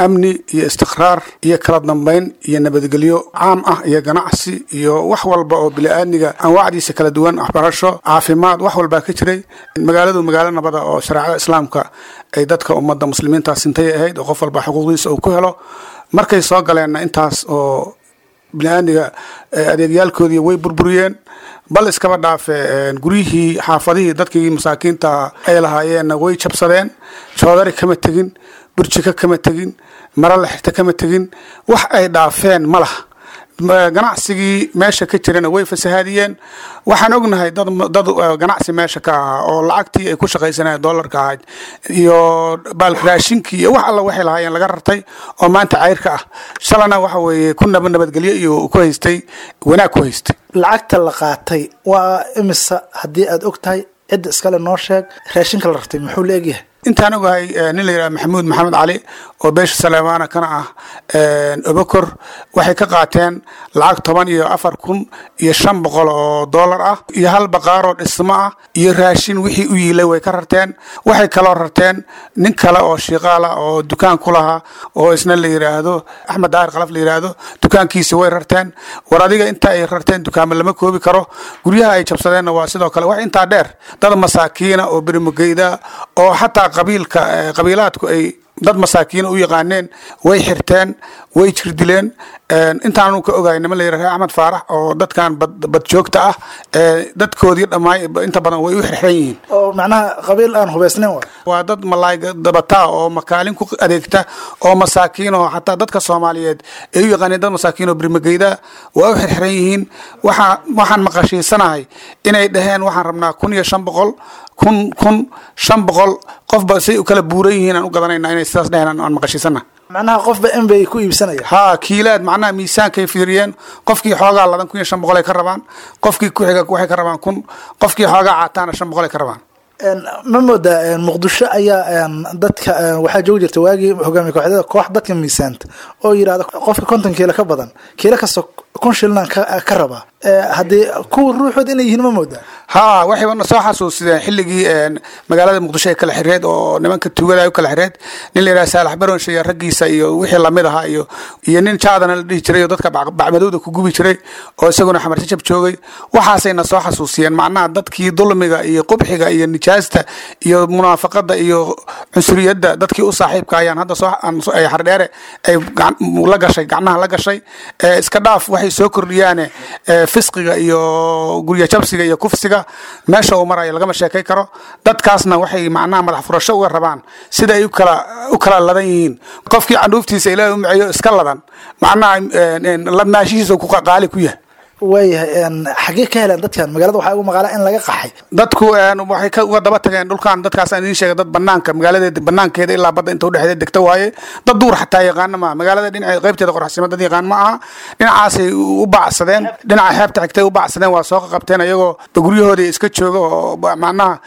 amni iyo istiqraar iyo kala dambeyn iyo nabadgelyo caam ah iyo ganacsi iyo wax walba oo bili-aadmiga anwaacdiisa kala duwan, waxbarasho, caafimaad, wax walbaa ka jiray magaaladu. Magaalo nabada oo shareecada islaamka ay dadka ummadda muslimiinta sintay ahayd oo qof walba xuquuqdiisa uu ku helo. Markay soo galeenna intaas oo bini-aadmiga adeegyaalkoodii way burburiyeen, bal iskaba dhaafe guryihii xaafadihii dadkii masaakiinta ay lahaayeenna way jabsadeen. Joodari kama tegin, burjiko kama tegin, mara la xirta kama tegin, wax ay dhaafeen ma laha. Ganacsigii meesha ka jirana way fasahaadiyeen. Waxaan ognahay dad dad ganacsi meesha ka ahaa oo lacagtii ay ku shaqaysanayeen doolarka ahayd iyo raashinkii iyo wax alla waxay lahaayeen laga rartay oo maanta cayrka ah. Shalana waxa weeye ku naba nabadgelyo iyo ku haystay wanaag ku haystay. Lacagta la qaatay waa imisa haddii aad og tahay? Cidda iskale noo sheeg. Raashinka la rartay muxuu la egyahay? Intaan ogahay, nin la yidhaha Maxamuud Maxamed Cali oo beesha Saleemaana kana ah Obokor, waxay ka qaateen lacag toban iyo afar kun iyo shan boqol oo doolar ah iyo hal baqaaroo dhismo ah iyo raashin wixii u yiilay way ka rarteen. Waxay kaloo rarteen nin kale oo shiiqaala oo dukaan ku lahaa oo isna la yidhaahdo Axmed Daahir Khalaf la yidhaahdo, dukaankiisi way rarteen. War adiga, inta ay rarteen dukaamo lama koobi karo. Guryaha ay jabsadeenna waa sidoo kale. Wax intaa dheer, dad masaakiina oo berimugeyda oo xataa qabiilka qabiilaadku ay dad masaakiina u yaqaaneen way xirteen, way jirdileen. Intaanu ka ogahay, niman la yidhaha Axmed Faarax oo dadkan badjoogta ah dadkoodii dhammaay inta badan way u xirxiran yihiin. Oo macnaha qabiil aan hubaysnayn wa? Waa dad malaay dabataa oo makaalin ku adeegta oo masaakiin oo xataa dadka Soomaaliyeed ay u yaqaaneen dad masaakiin oo birmageyda waa u xirxiran yihiin. Waxaa waxaan maqashiisanahay inay dhaheen waxaan rabnaa kun iyo shan boqol, kun kun shan boqol, qofba say u kala buuran yihiin aan u gadanayna, inay sidaas dhaheen aan maqashiisana. Macnaha qofba in bay ku iibsanaya? Haa, kiilaad, macnaha miisaankay fiiriyeen. Qofkii xoogaa ladan kun iyo shan boqol ay ka rabaan, qofkii ku xiga waxay ka rabaan kun, qofkii xoogaa caataana shan boqol ay ka rabaan. Ma moodaa Muqdisho ayaa dadka waxaa joogi jirta waagii hogaamiye kooxyada koox dadka miisaanta oo yidhahda qofka konton kiilo ka badan kiilo kasta kun shilnan ka rabaa, haddii kuwa ruuxood inay yihiin ma moodaa? Haa, waxayba na soo xasuusideen xilligii magaalada Muqdisho ay kala xireed oo nimanka tuugada ay u kala xireed, nin la yidhaha Saalax Baronshe iyo raggiisa iyo wixii lamid ahaa iyo iyo nin jaadana la dhihi jiray oo dadka bacmadowda ku gubi jiray oo isaguna Xamarjajab joogay. Waxaasay na soo xasuusiyeen, macnaha dadkii dulmiga iyo qubxiga iyo nijaasta iyo munaafaqada iyo cunsuriyadda dadkii u saaxiibka ayaan hadda soo ay Xardheere ay la gashay, gacmaha la gashay. Iska dhaaf waxay soo kordhiyaane fisqiga iyo gurya jabsiga iyo kufsiga meesha uu marayo lagama sheekay karo. Dadkaasna waxay macnaha madax furasho uga rabaan sida ay u kala u kala ladan yihiin. Qofkii candhuuftiisa Ilaahay u miceeyo iska ladan, macnaha ladnaashihiisa ku qaali ku yahay. Waayahay, xaggee ka heleen dadkan? Magaalada waxaa ugu maqaalaa in laga qaxay. Dadku waxay ka uga daba tageen dhulkan dadkaas aan idiin sheegay, dad banaanka magaaladeeda banaankeeda ilaa badda inta udhexeeda degta waaye. Dad duur xataa yaqaana maaha. Magaalada dhinaceeda qaybteeda qoraxsimo dad yaqaan ma aha. Dhinacaasay u bacsadeen, dhinaca xeebta xigtay u bacsadeen, waa soo qabteen ayagoo guryahooda iska jooga oo macnaha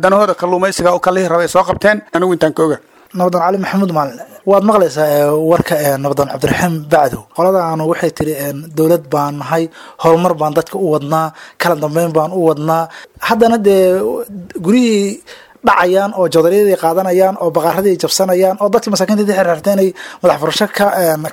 danahooda kalluumaysiga u kalihi rabay soo qabteen. Anigu intaan ka oga. Nabadoon Cali Maxamuud Maalin, waad maqlaysaa warka nabadoon Cabdiraxiim Bacdow. Qoladaanu waxay tiri dowlad baan nahay, horumar baan dadka u wadnaa, kala dambeyn baan u wadnaa, haddana dee guryihii dhacayaan oo joodariyadii qaadanayaan oo baqaaradii jabsanayaan oo dadkii masaakiinta xirxirtay inay madax furasho ka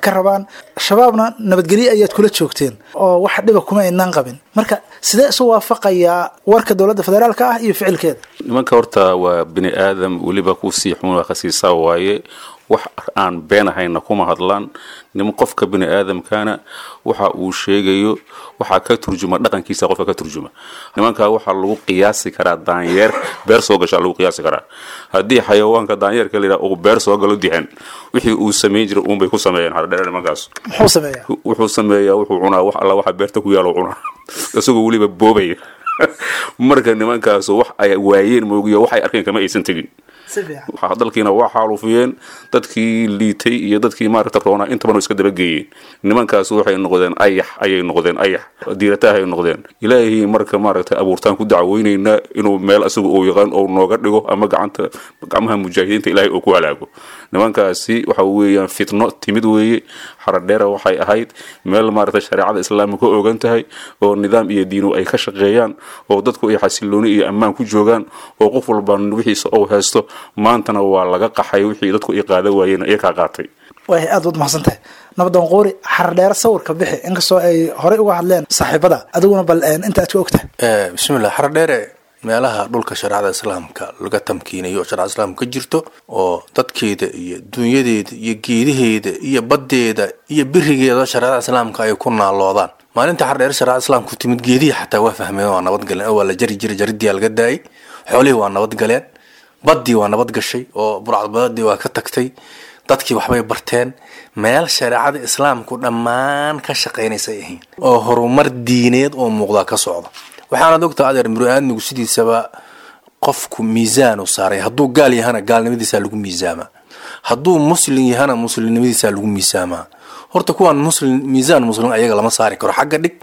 ka rabaan. Shabaabna nabadgelyo ayaad kula joogteen oo wax dhiba kuma aynaan qabin. Marka sidee isu waafaqayaa warka dowladda federaalka ah iyo ficilkeeda? Nimanka horta waa bini aadam, weliba kusii xun waa khasiisaa waaye. Wax aan been ahayna kuma hadlaan. Niman qofka bini aadamkana waxa uu sheegayo waxaa ka turjuma dhaqankiisa, qofka ka turjuma. Nimanka waxaa lagu qiyaasi karaa daanyeer beer soo gashaa lagu qiyaasi karaa. Haddii xayawaanka daanyeerka la yidhaha uu beer soo galo dihan, wixii uu samayn jiray uunbay ku sameeyeen Xaradheere nimankaas. Muxuu sameeyaa? Wuxuu sameeyaa, wuxuu cunaa wax alla waxa beerta ku yaalo cunaa, isagoo weliba boobaya. Marka nimankaas wax ay waayeen moogiyo waxay arkeen kama aysan tegin. Dalkiina waa xaalufiyeen, dadkii liitay iyo dadkii maaragta roonaa intabana iska dabageeyeen. Nimankaas waxay noqdeen ayax ayay noqdeen, ayax diirataah ay noqdeen. Ilaahay marka maaragta abuurtaan ku dacweynaynaa inuu meel asagu uu yaqaan oo nooga dhigo ama gacanta gacmaha mujaahidiinta ilaahay uu ku halaago. Nimankaasi waxa weeyaan fitno timid weeye. Xaradheera waxay ahayd meel maaragta shareecada islaamka ka ogan tahay oo nidaam iyo diinu ay ka shaqeeyaan oo dadku ay xasilooni iyo ammaan ku joogaan oo qof walba wixiisa uu haysto. Maantana waa laga qaxay, wixii dadku ay qaadan waayeen iyakaa qaatay. Way aad waad mahadsan tahay nabadoon Qoori. Xaradheere sawirka bixi, inkastoo ay horey uga hadleen saaxiibada, adiguna bal inta aad ka ogtahay. Bismillah. Xaradheere meelaha dhulka shareecada islaamka laga tamkiinayo oo shareecada islaamka ka jirto oo dadkeeda iyo dunyadeeda iyo geedaheeda iyo baddeeda iyo birigeeda shareecada islaamka ay ku naaloodaan. Maalinta Xaradheere shareecada islaamku timid, geedihii xataa waa fahmeen, waa nabadgaleen oo waa la jari jiray, jaridiyaa laga daayay. Xoolihii waa nabadgaleen, baddii waa nabad gashay oo burcadbadadii waa ka tagtay, dadkii waxbay barteen. Meel shareecada islaamku dhammaan ka shaqaynaysay ahayn oo horumar diineed oo muuqdaa ka socda. Waxaanaad ogtaa adeer, muru-aadmigu sidiisaba qofku miisaanu saaray. Hadduu gaal yahana gaalnimadiisaa lagu miisaamaa, hadduu muslim yahana muslimnimadiisaa lagu miisaamaa. Horta kuwaan muslim miisaan muslim ayaga lama saari karo, xagga dhig.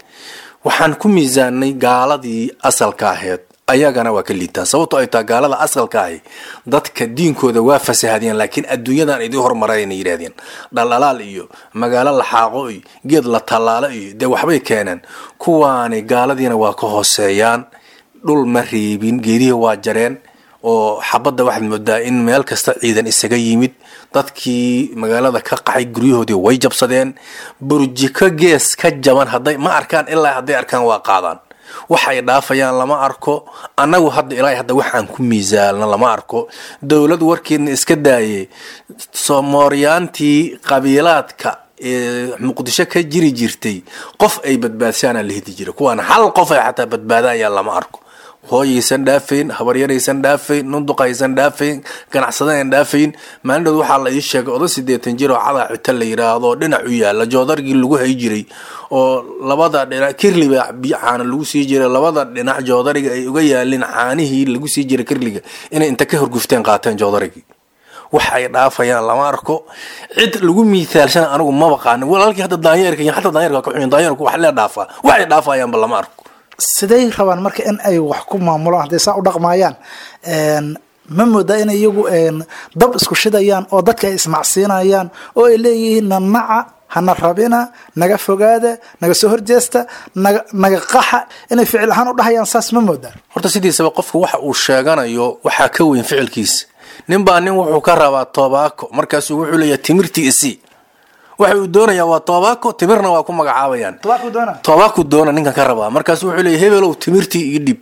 Waxaan ku miisaanay gaaladii asalka ahayd, ayagana waa ka liitaan, sababto ay tahay gaalada asalka ahi dadka diinkooda waa fasahadeen, laakiin adduunyadan idii hormarayna yidhahdeen dhaldhalaal iyo magaalo laxaaqo iyo geed la tallaalo iyo dee waxbay keeneen. Kuwaani gaaladiina waa ka hooseeyaan, dhul ma reebin, geedihii waa jareen oo xabadda waxaad moodaa in meel kasta ciidan isaga yimid. Dadkii magaalada ka qaxay guryahoodii way jabsadeen, burjiko gees ka jaban hadday ma arkaan, ilaa hadday arkaan waa qaadaan. Waxay dhaafayaan lama arko. Annagu hadda ilaa hadda waxaan ku miisaalna lama arko. Dowlad warkeedna iska daayay, Somooryaantii qabiilaadka ee Muqdisho ka jiri jirtay qof ay badbaadsaana la hedi jiray, kuwaana hal qof ay xataa badbaadayaan lama arko. Hooyaysan dhaafayn, habaryaraysan dhaafayn, nunduqaysan dhaafayn, ganacsadayan dhaafayn. Maalin waxaa la ii sheegay odo siddeetan jir oo cadaa cita la yidhaahdo dhinac u yaalla joodargii lagu hay jiray oo labada dhinac kirliba biyo caana lagu sii jiray, labada dhinac joodariga ay uga yaalin caanihii lagu sii jiray kirliga, inay inta ka horgufteen qaateen joodarigii. Wax ay dhaafayaan lama arko. Cid lagu miithaalshana anigu maba qaanin walaalkii. Hadda daanyeerka iyo xataa daanyeerka ka xun, daanyeerku wax lee dhaafaa, waxay dhaafayaanba lama arko. Siday rabaan marka in ay wax ku maamulaan hadday saa u dhaqmaayaan? Ma moodaa in iyagu dab isku shidayaan oo dadka ay ismacsiinayaan oo ay leeyihiin nanaca, hana rabina, naga fogaada, naga soo horjeesta, naga naga qaxa, inay ficil ahaan u dhahayaan saas ma moodaa? Horta sidiisaba qofku waxa uu sheeganayo waxaa ka weyn ficilkiisa. Nin baa nin wuxuu ka rabaa tobaako, markaasuu wuxuu leeyahay timirtii isii. Waxa uu doonayaa waa tobaako, timirna waa ku magacaabayaan. Tobaako doona ninkan ka rabaa, markaasu wuxuu leeyahay hebelow timirtii ii dhib.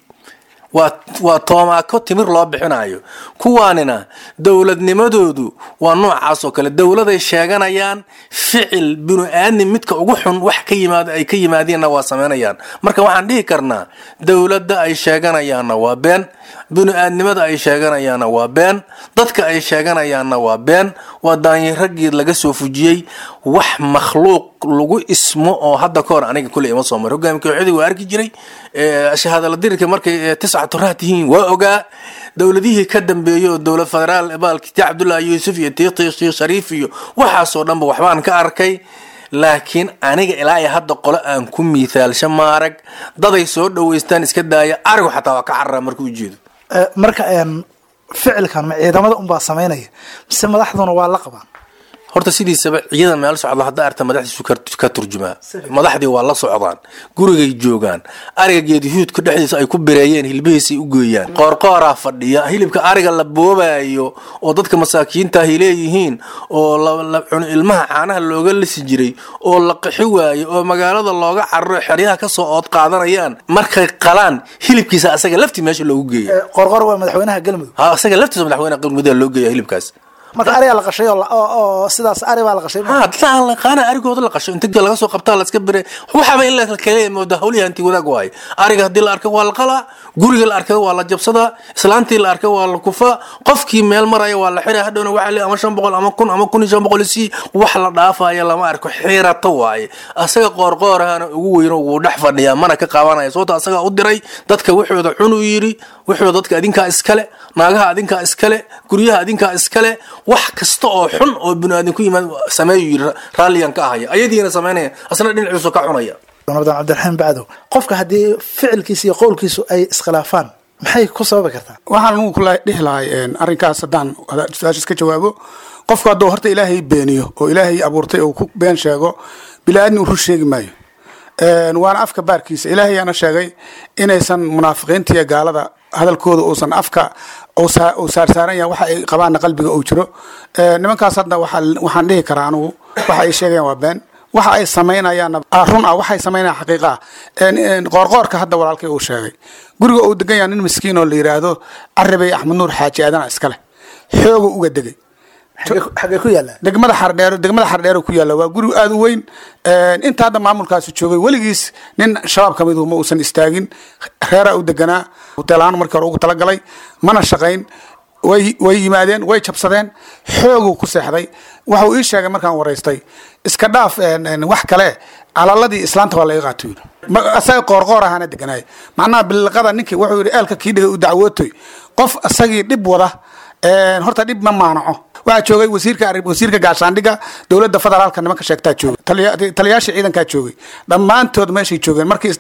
Waa waa toomaako timir loo bixinayo. Kuwaanina dowladnimadoodu waa noocaas oo kale, dowladay sheeganayaan, ficil binu aadmi midka ugu xun wax ka yimaado ay ka yimaadeenna waa samaynayaan. Marka waxaan dhihi karnaa dowladda ay sheeganayaanna waa been, binu aadnimada ay sheeganayaanna waa been, dadka ay sheeganayaanna waa been, waa daanyarageed laga soo fujiyey wax makhluuq. Lagu ismo oo hadda ka hor aniga kuley ima soo maro. Hogaami kooxyadii waa arki jiray, shahaadala dirirka markay tisca turaha tihiin waa ogaa, dowladihii ka dambeeyey oo dowlad federaal baalki tii Cabdullaahi Yuusuf iyo tii Sheekh Shariif iyo waxaasoo dhanba waxbaan ka arkay, laakiin aniga ilaa iyo hadda qolo aan ku miithaalsho maarag. Daday soo dhaweystaan iska daaya, arigu xataa waa ka cararaa markuu ujeedo. Marka ficilkan ma ciidamada unbaa samaynaya mise madaxduna waa la qabaan? Horta sidiisaba ciidan meel socda hadda arta madaxdiisu ka turjumaa. Madaxdii waa la socdaan, gurigay joogaan, ariga geedihuudka dhexdiisa ay ku bireeyeen hilbihiisay u geeyaan, qoorqooraa fadhiya, hilibka ariga la boobayo oo dadka masaakiinta ahy leeyihiin oo la cuno, ilmaha caanaha looga lisi jiray oo la qixi waayo oo magaalada looga cararo, xeryaha kasoo ood qaadanayaan, markay qalaan hilibkiisa asaga laftii meesha loogu geeya. Qoorqoor waa madaxweynaha Galmudug. Ha, asaga laftiisa madaxweynaha Galmudug loo geeya hilibkaas. Marka arigaa la qashay oo sidaas ari baa la qashay? Ha, dadaan laqaana arigooda la qasho inta laga soo qabtaa la iska bire, waxaaba in la kale mooda hawlihi hanti wadaag waaye. Ariga haddii la arko waa la qalaa, guriga la arkay waa la jabsadaa, islaantii la arkay waa la kufaa, qofkii meel maraya waa la xiraa, hadhowna waxaa le ama shan boqol ama kun ama kun iyo shan boqol si wax la dhaafaya lama arko, xirato waaye. Asaga qoorqoorahana ugu weyno wuu dhex fadhiyaa, mana ka qaabanaya, sababto asagaa u diray dadka wuxuuda cunuu yidhi, wuxuu dadka adinkaa iskale, naagaha adinkaa iskale, guryaha adinkaa iskale, wax kasta oo xun oo biniaadan ku yimaad sameeyu yidhi, raalliyan ka ahaya, ayadiina samaynaya, asna dhinaciisu ka cunaya. Nabdan Cabdiraxiim Bacdow, qofka haddii ficilkiisa iyo qowlkiisu ay iskhilaafaan maxay ku sababi kartaa? Waxaan anugu kula dhihi lahay arrinkaas haddaan su-aashaas ka jawaabo, qofku hadduu horta Ilaahay beeniyo oo Ilaahay abuurtay oo ku been sheego, bili-aadmi uu rur sheegi maayo, waana afka baarkiisa. Ilaahay ayaana sheegay inaysan munaafiqiinta iyo gaalada hadalkooda uusan afka uu saarsaaran yahay, waxa ay qabaanna qalbiga uu jiro. Nimankaas hadda waxaan dhihi karaa anugu waxa ay sheegayaan waa been, waxa ay samaynayaanna run ah, waxay samaynayaan xaqiiqa ah. Qoorqoorka hadda walaalkay uu sheegay guriga uu degan yahay nin miskiin oo la yidhaahdo Carabey Axmed Nuur Xaaji Aadana iskale, xooga uga degay. Xagee ku yaalla? Degmada Xardheero, degmada Xardheero ku yaalla. Waa guri aada u weyn. Inta hadda maamulkaasi joogay weligiis nin shabaab ka midu ma uusan istaagin. Reeraa u deganaa, hoteel ahaan markii hore ugu talagalay, mana shaqayn. Way way yimaadeen, way jabsadeen, xooguu ku seexday. Waxuu ii sheegay markaan waraystay, iska dhaaf wax kale, calaladii islaanta waa laga qaato yidhi, asaga qoorqoor ahaana deganaay. Macnaha biliqada ninkii wuxuu yidhi eelka kii dhigay u dacwootoy, qof asagii dhib wada horta dhib ma maanaco. Waxaa joogay wasiirka wasiirka gaashaandhigga dowladda federaalka, nimanka sheegtaa joogay, taliyayaasha ciidankaa joogay, dhammaantood meeshay joogeen markii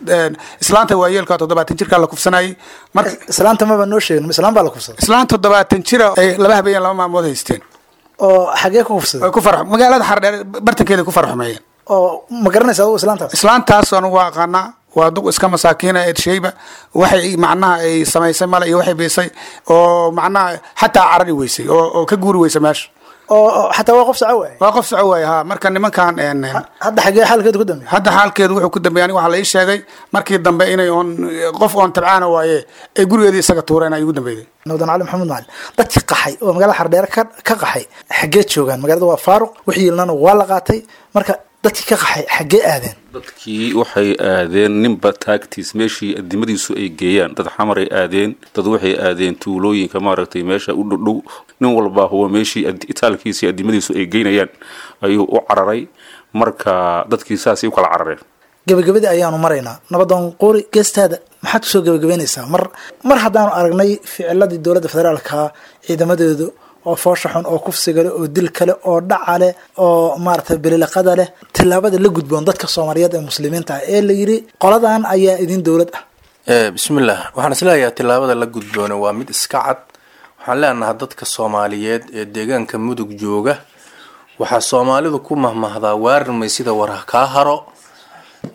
islaanta waayeelka toddobaatan jirkaa la kufsanayay. Marka islaanta maba noo sheegin, islaan baa la kufsaday? Islaan toddobaatan jira ay laba habeen laba maalmood haysteen. Oo xagee ku kufsaday? Way ku farx magaalada Xardheer bartankeeda ku farxumeeyeen. Oo ma garanaysa adigu islaantaas? Islaantaas anugu waa aqaanaa, waa duq iska masaakiina shayba, waxay macnaha ay samaysay male iyo waxay biisay oo macnaha xataa carari weysay oo oo ka guuri weysay meesha. Oo xataa waa qof soco waaye? Waa qof soco waaye ha. Marka nimankan hadda xagee xaalkeedu ku dambeeyey? Hadda xaalkeedu wuxuu ku dambeeyey, aniga waxaa la ii sheegay markii dambe inay oon qof oon tabcaana waaye ay gurigeedii isaga tuureen ay ugu dambeeyey. Nabdan Cali Maxamed Macalin, dadkii qaxay oo magaalada Xardheere ka ka qaxay xaggee joogaan? Magaalada waa faaruq, wixii yilnana waa la qaatay, marka dadkii ka qaxay xaggee aadeen? Dadkii waxay aadeen ninba taagtiis meeshii adimadiisu ay geeyaan. Dad xamaray aadeen, dad waxay aadeen tuulooyinka maaragtay meesha u dhowdhow, nin walbaa huwa meeshii itaalkiisa iyo adimadiisu ay geynayaan ayuu u cararay. Marka dadkii saasay u kala carareen. Gabagabadii ayaanu maraynaa. Nabadoon Quuri, geestaada maxaad kusoo gabagabeynaysaa mar mar haddaanu aragnay ficiladii dowladda federaalka ciidamadeedu oo foosha xun oo kufsiga leh oo dil kale oo dhaca leh oo maaragtay bililiqada leh, tillaabada la gudboon dadka Soomaaliyeed ee muslimiinta ah ee la yidhi qoladan ayaa idin dowlad ah? Bismillaah, waxaan isleeyahay tillaabada la gudboona waa mid iska cad. Waxaan leenahay dadka Soomaaliyeed ee deegaanka Mudug jooga, waxaa Soomaalidu ku mahmahdaa waarirmay sida war kaa haro.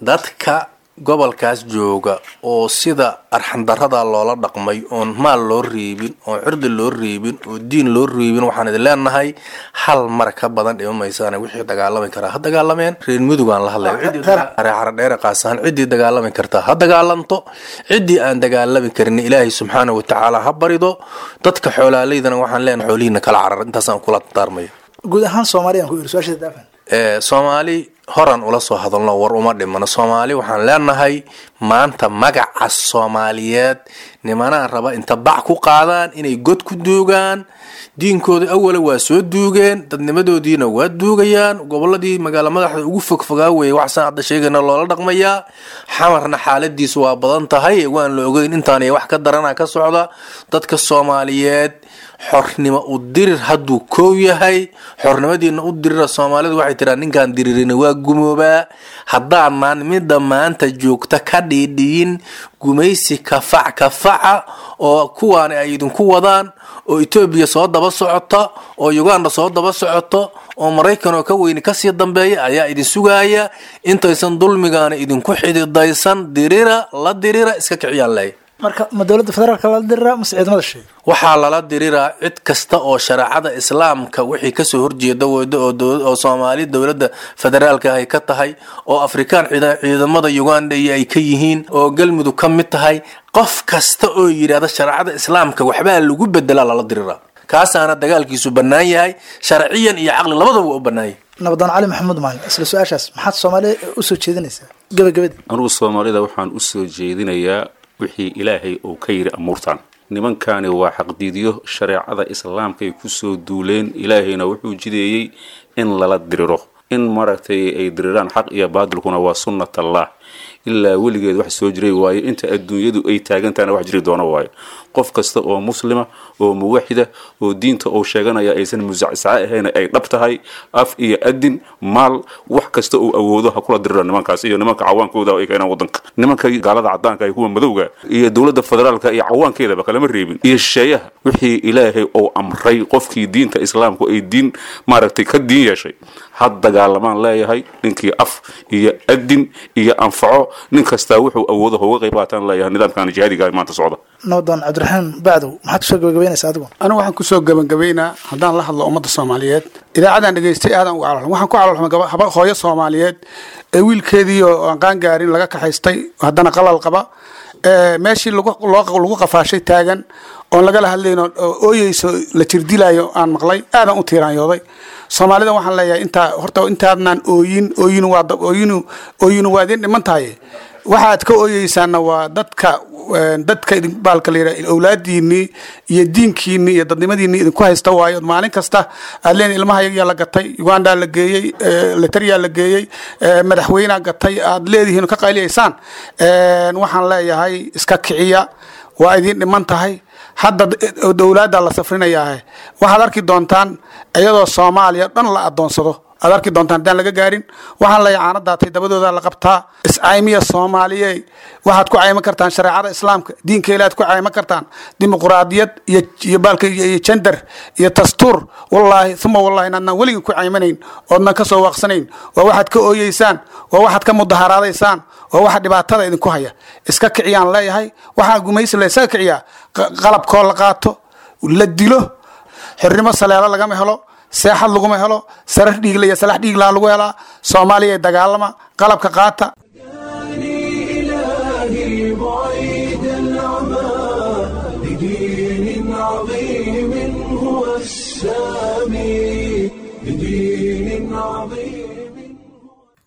Dadka gobolkaas jooga oo sida arxandarada loola dhaqmay, oon maal loo reebin, oon cirdi loo reebin, oo diin loo reebin, waxaan idin leenahay hal mar ka badan dhima maysaan. Wixii dagaalami karaa ha dagaalameen. Reer Mudugaan la hadlaya, Xaradheere qaasahan, ciddii dagaalami kartaa ha dagaalanto, ciddii aan dagaalami karin Ilaahay subxaana watacaala ha barido. Dadka xoolaaleydana waxaan leenahay xoolihiina kala carar. Intaasaan kula dardaarmaya. Guud ahaan Soomaaliyan ku iri su-aasha daafan. Soomaali Horan ula soo hadalno, war uma dhimano. Soomaali waxaan leenahay, maanta magaca Soomaaliyeed nimanaa raba inta bac ku qaadaan inay god ku duugaan. Diinkooda awala waa soo duugeen, dadnimadoodiina waa duugayaan. Goboladii magaalo madaxda ugu fogfogaa weeye waxsaan hadda sheegayna loola dhaqmayaa. Xamarna xaaladiisu waa badan tahay, waan la ogeyn intaan wax ka darana ka socda. Dadka Soomaaliyeed, xornimo u dirir hadduu koow yahay, xornimadiina u dirira. Soomaalidu waxay tiraa, ninkaan diririna waa gumoobaa. Haddaanaan midda maanta joogta ka dhiidhiyin gumaysi kafac kafaca oo kuwaani ay idinku wadaan, oo Etoobiya soo daba socota, oo Uganda soo daba socoto, oo Maraykan oo ka weyni kasii dambeeya ayaa idin sugaaya, intaysan dulmigaana idinku xididaysan, dirira, la dirira, iska kiciyaan leh. Marka ma dowladda federaalka lala diriraa mase ciidamada shisheeye? Waxaa lala diriraa cid kasta oo shareecada Islaamka wixii kasoo horjeeda weydo, oo Soomaali dowladda federaalka ay ka tahay, oo Afrikaan ciidamada Uganda iyo ay ka yihiin, oo Galmudug ka mid tahay. Qof kasta oo yidhahda shareecada Islaamka waxbaa lagu bedelaa lala diriraa, kaasaana dagaalkiisu bannaan yahay, sharciyan iyo caqli labadaba waa u bannaan yahay. Nabadoon Cali Maxamuud Maalin, isla su-aashaas, maxaad Soomaaliya usoo jeedinaysaa gabagabadii? Anugu Soomaalida waxaan usoo jeedinayaa wixii Ilaahay uu ka yidhi amuurtan. Nimankani waa xaqdiidyo, shareecada Islaamkaay kusoo duuleen. Ilaahayna wuxuu jideeyey in lala diriro, in maaragtay ay diriraan. Xaq iyo baadilkuna waa sunnat Allah, ilaa weligeed wax soo jiray waayo, inta adduunyadu ay taagantaana wax jiri doono waayo. Qof kasta oo muslima oo muwaxida oo diinta uu sheeganaya aysan musacsaca ahayn, ay dhab tahay, af iyo adin, maal, wax kasta uu awoodo ha kula dirira nimankaas iyo nimanka cawaankooda ay keenaan wadanka. Nimanka gaalada cadaanka iyo kuwa madowga iyo dowladda federaalka iyo cawaankeedaba kalama reebin, iyo shisheeyaha. Wixii Ilaahay uu amray, qofkii diinta Islaamku ay diin maaragtay ka diin yeeshay, ha dagaalamaan leeyahay. Ninkii af iyo adin iyo anfaco, nin kastaa wuxuu awoodo ha uga qayb qaataan leeyahay nidaamkan jihaadiga maanta socda. Nabadoon Cabdiraxiim Bacdow, maxaad kusoo gabagabaynaysaa adigu? Anigu waxaan kusoo gabagabaynaa, haddaan la hadlo ummadda Soomaaliyeed, idaacaddaan dhegaystay aadaan uga calolxum. Waxaan ku calolxumay haba hooyo Soomaaliyeed ee wiilkeedii oo aan qaan gaarin laga kaxaystay, haddana qalal qaba, meeshii lagu qafaashay taagan, oon lagala hadlayn, oo ooyeyso, la jirdilaayo aan maqlay, aadaan u tiiraanyooday. Soomaalida waxaan leeyahay, intaa horta intaadnaan ooyin, ooyin waa ooyinu, ooyinu waa idin dhiman tahay. Waxaad ka ooyeysaana waa dadka dadka baalka la yidhaha awlaadiinii iyo diinkiinii iyo dadnimadiinii idinku haysta waayo. Maalin kasta aad leen ilmaha yagaa la gatay, Ugandaa la geeyey, Letariyaa la geeyey, madaxweynea gatay aad leedihiin, ka qayliyaysaan. Waxaan leeyahay, iska kiciya, waa idin dhiman tahay. Hadda dowlaadda la safrinayaahe, waxaad arki doontaan iyadoo Soomaaliya dhan la adoonsado aad arki doontaan haddaan laga gaarin. Waxaan leeyahay, caano daatay dabadooda la qabtaa. Iscaymiya Soomaaliye, waxaad ku cayman kartaan shareecada Islaamka, diinka Ilaad ku cayman kartaan, dimuqraadiyad iyo iyo baalka iyo jender iyo dastuur, wallaahi uma wallahi inaadnaan weligin ku caymanayn oodnan ka soo waaqsanayn. Waa waxaad ka ooyeysaan, waa waxaad ka mudaharaadaysaan, waa waxa dhibaatada idinku haya. Iska kiciyaan leeyahay. Waxaa gumaysi la isaga kiciyaa qalabkoo la qaato, la dilo. Xornimo saleelo lagama helo, seexad laguma helo, sarar dhiigla iyo salax dhiiglaa lagu helaa. Soomaaliya dagaalama, qalabka qaata. إلهي بعيد العمى لدين عظيم هو السامي، لدين عظيم.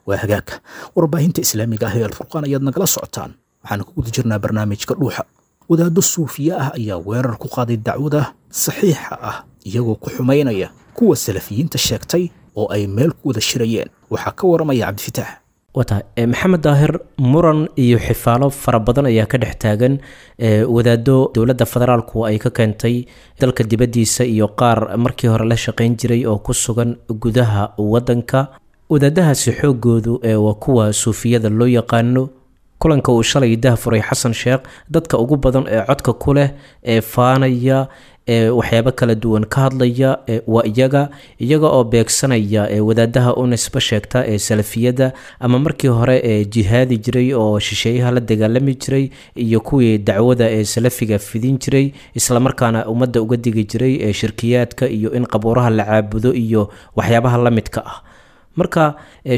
Waa hagaag, warbaahinta islaamiga ah ee Alfurqaan ayaad nagala socotaan. Waxaana ku guda jirnaa barnaamijka Dhuuxa. Wadaaddo suufiye ah ayaa weerar ku qaaday dacwada saxiixa ah, iyagoo ku xumaynaya kuwa salafiyiinta sheegtay oo ay meel ku wada shirayeen. Waxaa ka waramaya Cabdifitaax. Wata Maxamed Daahir, muran iyo xifaalo fara badan ayaa ka dhex taagan wadaado dowladda federaalku ay ka keentay dalka dibaddiisa iyo qaar markii hore la shaqayn jiray oo ku sugan gudaha wadanka. Wadaadahaasi xoogoodu waa kuwa suufiyada loo yaqaano. Kulanka uu shalay dahfuray Xasan Sheekh, dadka ugu badan ee codka ku leh, ee faanaya, ee waxyaabo kala duwan ka hadlaya waa iyaga, iyaga oo beegsanaya wadaadaha u nisbo sheegta ee salafiyada ama markii hore ee jihaadi jiray oo shisheeyaha la dagaalami jiray, iyo kuwii dacwada ee salafiga fidin jiray, islamarkaana ummadda uga digi jiray ee shirkiyaadka iyo in qabuuraha la caabudo iyo waxyaabaha la midka ah. Marka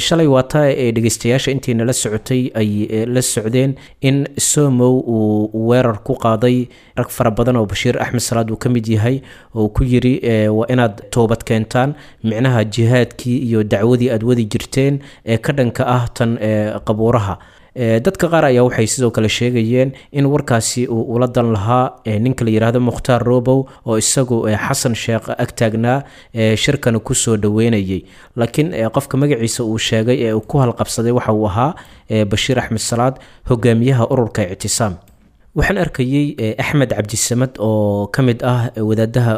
shalay waata ee dhegeystayaasha intii nala socotay ay la socdeen in Somow uu weerar ku qaaday rag fara badan oo Bashiir Axmed Salaad uu ka mid yahay, oo ku yiri waa inaad toobad keentaan, micnaha jihaadkii iyo dacwadii aad wadi jirteen ee ka dhanka ah tan qabuuraha. Dadka qaar ayaa waxay sidoo kale sheegayeen in warkaasi uu ula dan lahaa ninka la yidhaahdo Mukhtaar Robow, oo isagu Xasan Sheekh ag taagnaa shirkana kusoo dhaweynayay. Laakiin qofka magaciisa uu sheegay ee uu ku halqabsaday waxa uu ahaa Bashiir Axmed Salaad, hogaamiyaha ururka Ictisaam. Waxaan arkayey Axmed Cabdisamad oo ka mid ah wadaadaha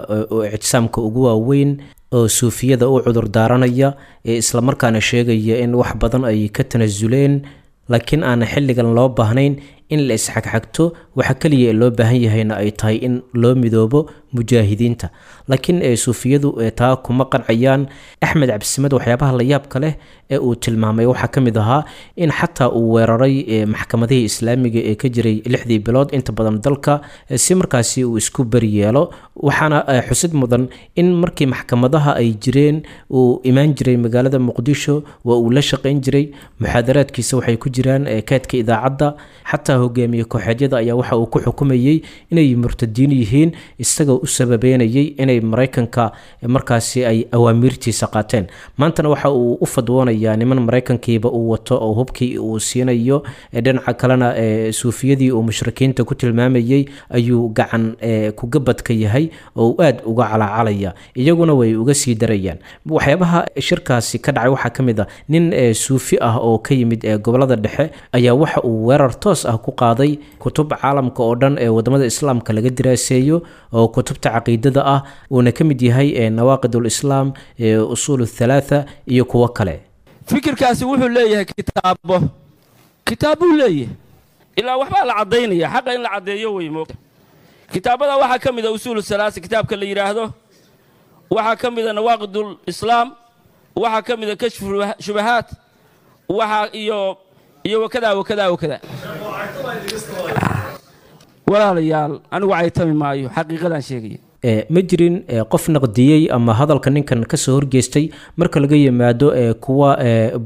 ictisaamka ugu waaweyn oo suufiyada u cudur daaranaya, islamarkaana sheegaya in wax badan ay ka tanasuleen, laakiin aan xilligan loo baahnayn in la isxagxagto, waxa keliya loo baahan yahayna ay tahay in loo midoobo mujaahidiinta. Laakiin suufiyadu taa kuma qancayaan. Axmed Cabdisamad waxyaabaha la yaabka leh ee uu tilmaamay waxaa ka mid ahaa in xataa uu weeraray maxkamadihii islaamiga ee ka jiray lixdii bilood inta badan dalka, si markaasi uu isku beri yeelo. Waxaana xusid mudan in markii maxkamadaha ay jireen uu imaan jiray magaalada Muqdisho, waa uu la shaqayn jiray, muxaadaraadkiisa waxay ku jiraan kaadka idaacadda. Xataa hogaamiye kooxeedyada ayaa waxa uu ku xukumayey inay murtadiin yihiin, isagoo u sababeynayay inay Maraykanka markaasi ay awaamiirtiisa qaateen. Maantana waxa uu u fadwoonayaa niman Maraykankiiba uu wato oo hubkii uu siinayo, dhinaca kalena suufiyadii uu mushrikiinta ku tilmaamayey ayuu gacan kugabadka yahay oo uu aad uga calacalaya, iyaguna way uga sii darayaan. Waxyaabaha shirkaasi ka dhacay waxaa ka mid ah nin suufi ah oo ka yimid gobolada dhexe ayaa waxa uu weerar toos ah ku qaaday kutub caalamka oo dhan ee wadamada islaamka laga diraaseeyo oo kutubta caqiidada ah, uuna ka mid yahay Nawaaqid Ulislaam, Usuul Athalaatha iyo kuwo kale. Fikirkaasi wuxuu leeyahay kitaabo, kitaabbuu leeyahay, ilaa waxbaa la caddaynaya, xaqa in la caddeeyo wey moogta. Kitaabada waxaa ka mid a Usuulu Salaasa kitaabka la yidhaahdo, waxaa ka mid a Nawaaqidul Islaam, waxaa ka mid a Kashfu Shubahaat, waxaa iyo iyo wakadaa wakadaa wakadaa. Walaalayaal, anigu caytami maayo, xaqiiqadaan sheegaya. Ma jirin qof naqdiyey ama hadalka ninkan kasoo horgeystay marka laga yimaado kuwa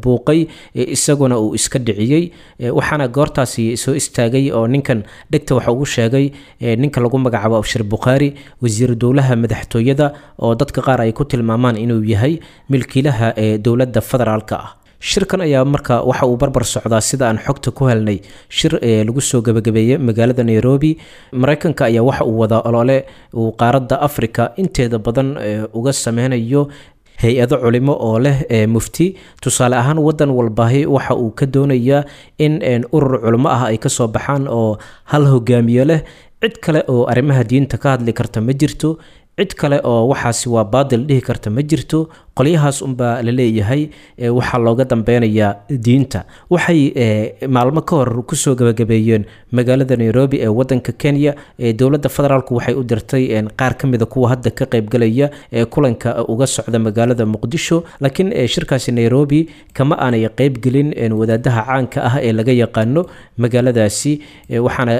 buuqay, isaguna uu iska dhiciyey. Waxaana goortaasi soo istaagay oo ninkan dhegta waxa ugu sheegay ninka lagu magacaabo Abshir Bukhaari, wasiir dowlaha madaxtooyada, oo dadka qaar ay ku tilmaamaan inuu yahay milkiilaha ee dowladda federaalka ah. Shirkan ayaa marka waxa uu barbar socdaa, sida aan xogta ku helnay, shir ee lagu soo gabagabeeyey magaalada Nairobi. Maraykanka ayaa waxa uu wadaa olole uu qaaradda Africa inteeda badan uga sameynayo hay-ado culimo oo leh mufti. Tusaale ahaan, wadan walbahi waxa uu ka doonayaa in urur culimo ah ay kasoo baxaan oo hal hogaamiye leh. Cid kale oo arrimaha diinta ka hadli karta ma jirto, cid kale oo waxaasi waa baadil dhihi karta ma jirto. Qolyahaas unbaa la leeyahay waxaa looga dambeynayaa diinta. Waxay maalmo ka hor kusoo gabagabeeyeen magaalada Nairobi ee wadanka Kenya. Dowladda federaalku waxay u dirtay qaar ka mida kuwa hadda ka qaybgalaya ee kulanka uga socda magaalada Muqdisho, laakiin shirkaasi Nairobi kama aanay qaybgelin wadaadaha caanka ah ee laga yaqaano magaaladaasi. Waxaana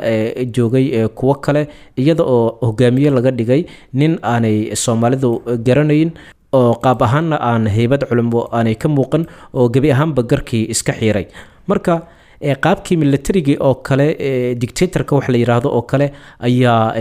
joogay kuwo kale, iyada oo hogaamiye laga dhigay nin aanay Soomaalidu garanayn oo qaab ahaanna aan heybad culimo aanay ka muuqan, oo gebi ahaanba garkii iska xiiray. Marka qaabkii militarigii oo kale, dictatorka wax la yidhaahdo oo kale ayaa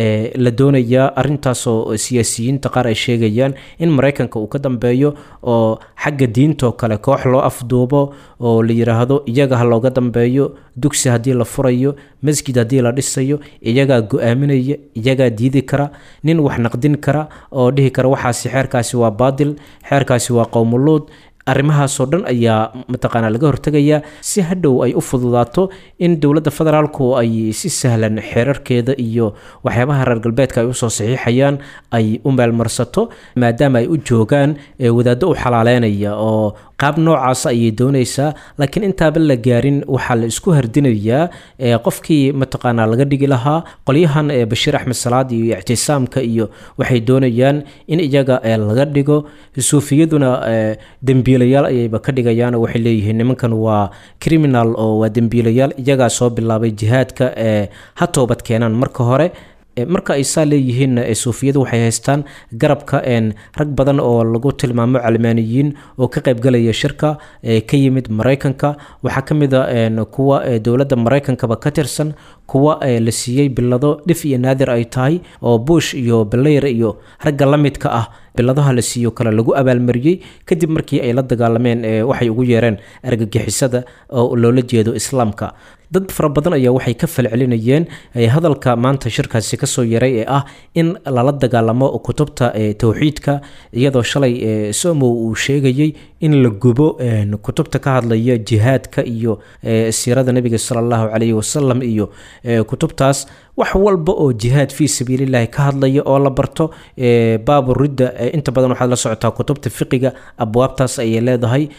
la doonayaa, arrintaasoo siyaasiyiinta qaar ay sheegayaan in Maraykanka uu ka dambeeyo, oo xagga diintoo kale koox loo afduubo oo la yidhaahdo iyaga ha looga dambeeyo. Dugsi haddii la furayo, masjid haddii la dhisayo, iyagaa go-aaminaya, iyagaa diidi kara, nin wax naqdin kara oo dhihi kara waxaasi xeerkaasi waa baadil, xeerkaasi waa qowmuluud, arrimahaasoo dhan ayaa mataqaanaa laga hortegayaa, si hadhow ay u fududaato in dowladda federaalku ay si sahlan xeerarkeeda iyo waxyaabaha reer galbeedka ay usoo saxiixayaan ay u meelmarsato, maadaama ay u joogaan wadaaddo u xalaaleynaya oo qaab noocaas ayay doonaysaa. Laakiin intaaba la gaarin waxaa la isku hardinayaa qofkii mataqaanaa laga dhigi lahaa. Qolyahan Bashiir Axmed Salaad iyo Ictisaamka iyo waxay doonayaan in iyaga laga dhigo, suufiyaduna dembiilayaal ayayba ka dhigayaan oo waxay leeyihiin nimankan waa criminal oo waa dembiilayaal, iyagaa soo bilaabay jihaadka, ee ha toobad keenaan marka hore. Marka ay saa leeyihiin, suufiyadu waxay haystaan garabka rag badan oo lagu tilmaamo calmaaniyiin oo ka qaybgalaya shirka ka yimid Maraykanka. Waxaa ka mid a kuwa dowladda Maraykankaba ka tirsan, kuwa la siiyey bilado dhif iyo naadir ay tahay oo Bush iyo Blair iyo ragga la midka ah biladaha la siiyo kale lagu abaalmariyey kadib markii ay la dagaalameen waxay ugu yeereen argagixisada oo loola jeedo Islaamka. Dad fara badan ayaa waxay ka falcelinayeen hadalka maanta shirkaasi kasoo yaray ee ah in lala dagaalamo kutubta towxiidka, iyadoo shalay Somow uu sheegayey in la gubo kutubta ka hadlaya jihaadka iyo siirada Nabiga sala Allahu calayhi wasalam iyo kutubtaas, wax walba oo jihaad fii sabiilillahi ka hadlaya oo la barto baabu ridda. Inta badan waxaad la socotaa kutubta fiqiga abwaabtaas ayay leedahay,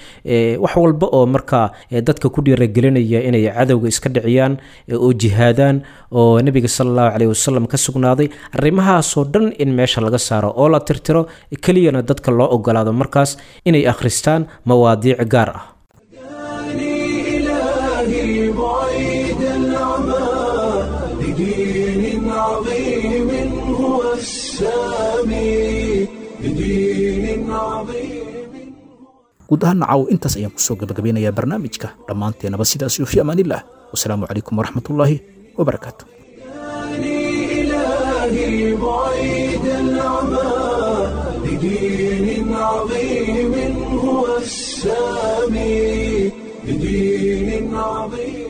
wax walba oo markaa dadka ku dhiiragelinaya inay cadowga iska dhiciyaan oo jihaadaan oo Nabiga sala Allahu caleyhi wasalam ka sugnaaday, arrimahaasoo dhan in meesha laga saaro oo la tirtiro, keliyana dadka loo ogolaado markaas inay akhristaan mawaadiic gaar ah. إلهي بعيد العمى لدين عظيم هو السامي، لدين عظيم. Guud ahaan nacaw intaas ayaan kusoo gabagabeynayaa barnaamijka dhammaanteenaba. Sidaas iyo fi amaanillah, wasalaamu calaykum waraxmatullaahi wabarakaatu. إلهي بعيد العمى لدين عظيم هو السامي، لدين عظيم.